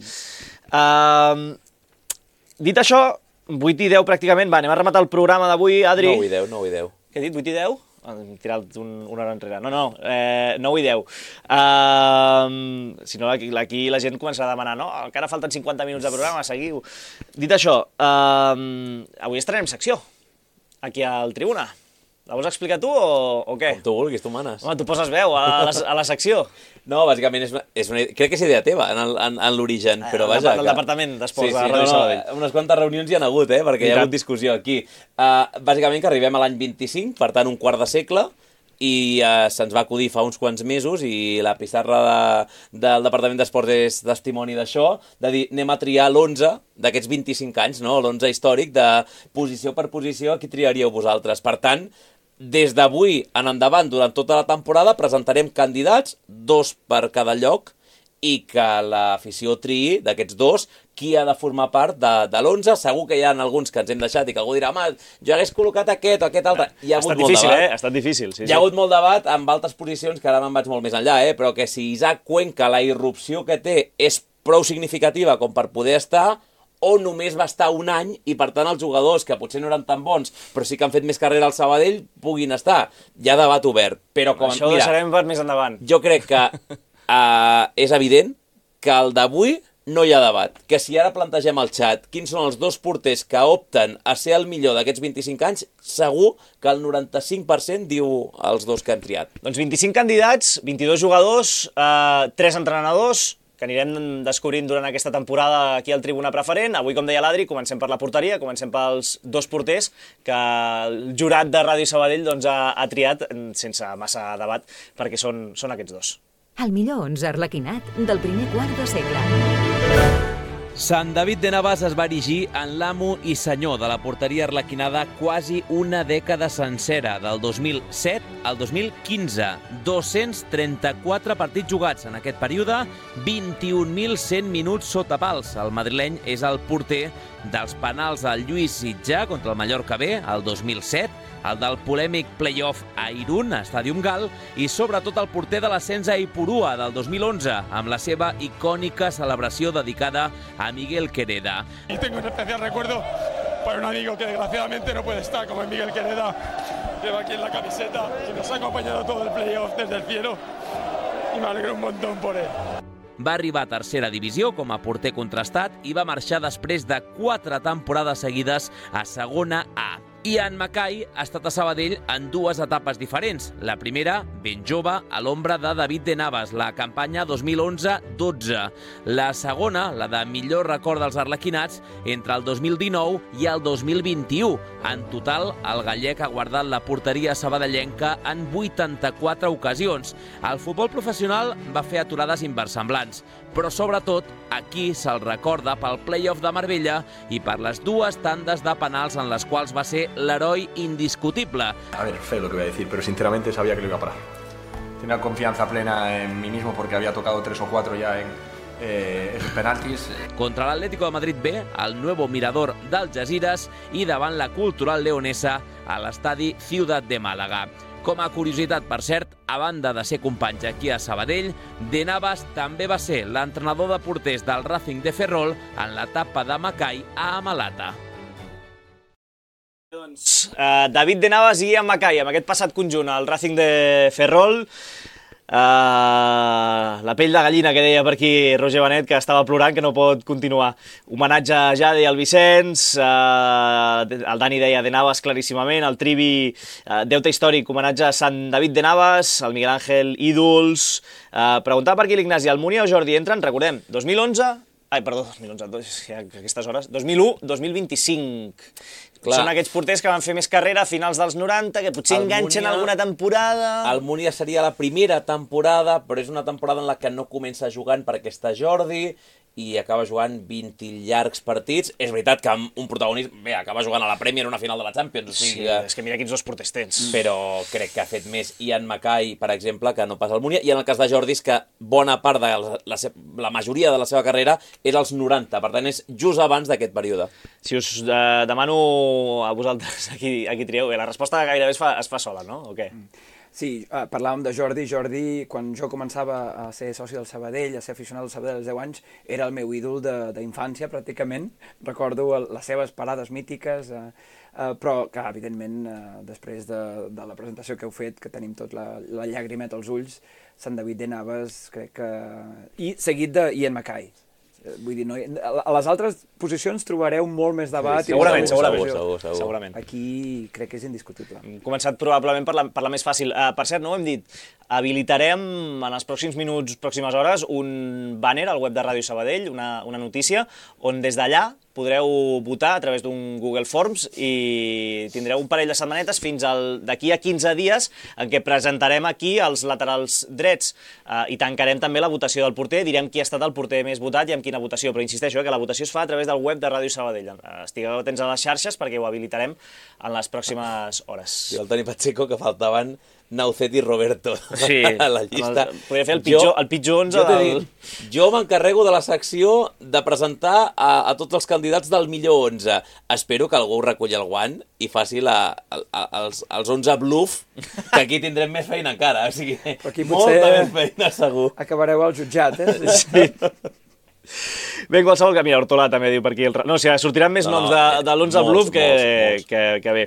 Mm. Uh, dit això, vuit i deu pràcticament, va, anem a rematar el programa d'avui, Adri. nou i deu, nou i deu. Què he dit, vuit i deu? Hem tirat un, una hora enrere. No, no, eh, nou i deu. Uh, si no, aquí, aquí la gent començarà a demanar, no, encara falten cinquanta minuts de programa, seguiu. Dit això, uh, avui estrenem secció, aquí al Tribuna. La vols explicar tu o, o què? Com tu vulguis, tu manes. Home, tu poses veu a la, a la secció. No, bàsicament és una, és una, crec que és idea teva en, el, en, en l'origen, però eh, vaja... Del que... Departament d'Esports sí, sí, de Ràdio no, Sabadell. No, unes quantes reunions hi ha hagut, eh, perquè I hi ha tant. hagut discussió aquí. Uh, bàsicament que arribem a l'any vint-i-cinc, per tant un quart de segle, i uh, se'ns va acudir fa uns quants mesos i la pissarra de, del Departament d'Esports és testimoni d'això, de dir, anem a triar l'onze d'aquests vint-i-cinc anys, no? l'onze històric, de posició per posició, qui triaríeu vosaltres. Per tant, des d'avui en endavant, durant tota la temporada, presentarem candidats, dos per cada lloc, i que l'afició triï d'aquests dos qui ha de formar part de, de l'onze. Segur que hi ha alguns que ens hem deixat i que algú dirà, home, jo hagués col·locat aquest o aquest altre. Hi ha ha hagut estat molt difícil, debat. eh? Ha estat difícil, sí, Hi ha sí. hagut molt debat amb altres posicions, que ara me'n vaig molt més enllà, eh? Però que si Isaac Cuenca, la irrupció que té, és prou significativa com per poder estar, o només va estar un any i, per tant, els jugadors, que potser no eren tan bons, però sí que han fet més carrera al Sabadell, puguin estar. Hi ha debat obert. Però com, Això ho mira, deixarem per més endavant. jo crec que uh, és evident que el d'avui no hi ha debat. Que si ara plantegem al xat quins són els dos porters que opten a ser el millor d'aquests vint-i-cinc anys, segur que el noranta-cinc per cent diu els dos que han triat. Doncs vint-i-cinc candidats, vint-i-dos jugadors, eh, tres entrenadors, que anirem descobrint durant aquesta temporada aquí al Tribuna Preferent. Avui, com deia l'Adri, comencem per la porteria, comencem pels dos porters que el jurat de Ràdio Sabadell doncs, ha, ha triat sense massa debat, perquè són, són aquests dos. El millor onze arlequinat del primer quart de segle. Sant David de Navas es va erigir en l'amo i senyor de la porteria arlequinada quasi una dècada sencera, del dos mil set al dos mil quinze. dos-cents trenta-quatre partits jugats en aquest període, vint-i-un mil cent minuts sota pals. El madrileny és el porter dels penals del Lluís Sitjà contra el Mallorca B, el dos mil set, el del polèmic playoff a Irún, a Stadium Gal, i sobretot el porter de l'ascens a Ipurua del dos mil onze, amb la seva icònica celebració dedicada a Miguel Quereda. Y tengo un especial recuerdo para un amigo que desgraciadamente no puede estar, como es Miguel Quereda, lleva aquí en la camiseta y nos ha acompañado todo el playoff desde el cielo y me alegro un montón por él. Va arribar a tercera divisió com a porter contrastat i va marxar després de quatre temporades seguides a segona A. Ian Mackay ha estat a Sabadell en dues etapes diferents. La primera, ben jove, a l'ombra de David de Navas, la campanya dos mil onze dotze. La segona, la de millor record dels arlequinats, entre el dos mil dinou i el dos mil vint-i-u. En total, el gallec ha guardat la porteria sabadellenca en vuitanta-quatre ocasions. El futbol professional va fer aturades inversemblants, però sobretot aquí se'l recorda pel playoff de Marbella i per les dues tandes de penals en les quals va ser l'heroi indiscutible. A ver, feo lo que voy a decir, pero sinceramente sabía que lo iba a parar. Tenía confianza plena en mí mismo porque había tocado tres o cuatro ya en eh, esos penaltis. Contra l'Atlético de Madrid B, al nuevo mirador d'Algesires i davant la Cultural Leonesa a l'estadi Ciutat de Màlaga. Com a curiositat, per cert, a banda de ser companys aquí a Sabadell, De Navas també va ser l'entrenador de porters del Racing de Ferrol en l'etapa de Mackay a Amalata. Doncs, uh, David de Navas i Ian Mackay, amb aquest passat conjunt al Racing de Ferrol. Uh, la pell de gallina que deia per aquí Roger Benet, que estava plorant, que no pot continuar. Homenatge a Jade i al Vicenç, uh, el Dani deia de Navas claríssimament, el Trivi, uh, deute històric, homenatge a Sant David de Navas, el Miguel Ángel, ídols. Uh, preguntava per aquí l'Ignasi, el Múnia o Jordi entren, recordem, dos mil onze, ai, perdó, dos mil onze, ja, aquestes hores, dos mil u, dos mil vint-i-cinc. Clar. Són aquests porters que van fer més carrera a finals dels noranta, que potser el enganxen Múnia, alguna temporada... El Múnia seria la primera temporada, però és una temporada en la que no comença jugant perquè està Jordi i acaba jugant vint llargs partits. És veritat que un protagonista... Bé, acaba jugant a la Premier una final de la Champions. O sigui sí, que... és que mira quins dos porters tens. Però crec que ha fet més Ian Mackay, per exemple, que no pas el Múnia. I en el cas de Jordi és que bona part de la, la, la majoria de la seva carrera és als noranta. Per tant, és just abans d'aquest període. Si us eh, demano a vosaltres, aquí, aquí trieu, bé, la resposta gairebé es fa, es fa sola, no? O què? Sí, uh, parlàvem de Jordi. Jordi, quan jo començava a ser soci del Sabadell, a ser aficionat del Sabadell als deu anys, era el meu ídol d'infància, pràcticament. Recordo les seves parades mítiques, uh, uh, però que, evidentment, uh, després de, de la presentació que heu fet, que tenim tot la, la llagrimeta als ulls, Sant David de Navas, crec que... I seguit de Ian Mackay. Vull dir, no, a les altres posicions trobareu molt més debat. Sí, segurament, i segurament. Segur, segur, segur. segurament. Aquí crec que és indiscutible. Hem començat probablement per la, per la més fàcil. Uh, per cert, no ho hem dit, habilitarem en els pròxims minuts, pròximes hores, un banner al web de Ràdio Sabadell, una, una notícia, on des d'allà podreu votar a través d'un Google Forms i tindreu un parell de setmanetes fins d'aquí a quinze dies en què presentarem aquí els laterals drets uh, i tancarem també la votació del porter, direm qui ha estat el porter més votat i amb quina votació, però insisteixo eh, que la votació es fa a través del web de Ràdio Sabadell. Estigueu atents a les xarxes perquè ho habilitarem en les pròximes hores. I el Toni Pacheco, que faltaven Naucet i Roberto sí, a la llista. El, podria fer el pitjor, jo, el pitjor onze jo del... Dic, jo m'encarrego de la secció de presentar a, a tots els candidats del millor onze. Espero que algú reculli el guant i faci la, el, els, els onze bluff, que aquí tindrem més feina encara. O sigui, molta més feina, segur. Acabareu al jutjat, eh? Sí. Bé, en qualsevol que, mira, Hortolà també diu per aquí... El... No, o sigui, sortiran més no, noms de, de l'onze Bluff que, molts, molts. que, que bé.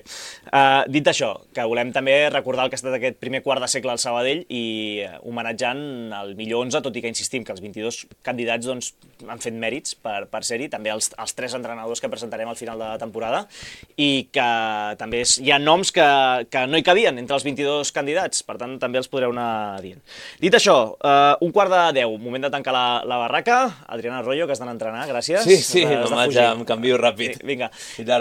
Uh, dit això, que volem també recordar el que ha estat aquest primer quart de segle al Sabadell i homenatjant el millor onze, tot i que insistim que els vint-i-dos candidats doncs, han fet mèrits per, per ser-hi, també els, els tres entrenadors que presentarem al final de la temporada i que també és, hi ha noms que, que no hi cabien entre els vint-i-dos candidats, per tant també els podreu anar dient. Dit això, uh, un quart de deu, moment de tancar la, la barraca. Adriana Arroyo, que has d'anar a entrenar, gràcies. Sí, sí, no ja em canvio ràpid. Vinga.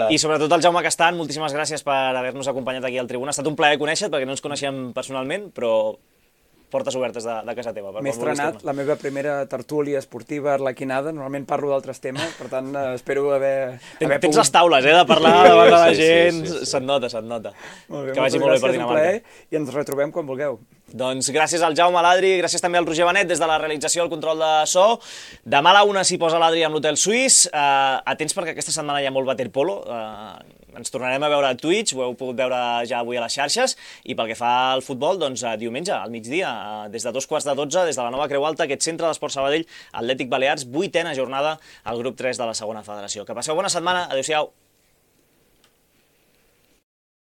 I sobretot el Jaume Castan, moltíssimes gràcies per haver-nos acompanyat aquí al Tribuna. Ha estat un plaer conèixer-te, perquè no ens coneixem personalment, però portes obertes de, de casa teva. M'he estrenat la meva primera tertúlia esportiva arlequinada. Normalment parlo d'altres temes, per tant, eh, espero haver... Ten, haver tens pogut... les taules, eh, de parlar davant de la gent. Sí, sí, sí, sí. Se't nota, se't nota. Molt bé, que vagi molt bé per Dinamarca. I ens retrobem quan vulgueu. Doncs gràcies al Jaume, a l'Adri, gràcies també al Roger Benet des de la realització, el control de so. Demà a la una s'hi posa l'Adri amb l'Hotel Suís. Uh, atents perquè aquesta setmana hi ha molt waterpolo. Uh, ens tornarem a veure a Twitch, ho heu pogut veure ja avui a les xarxes. I pel que fa al futbol, doncs uh, diumenge, al migdia, uh, des de dos quarts de dotze, des de la nova Creu Alta, aquest centre d'Esport Sabadell, Atlètic Balears, vuitena jornada al grup tres de la segona federació. Que passeu bona setmana, adéu-siau.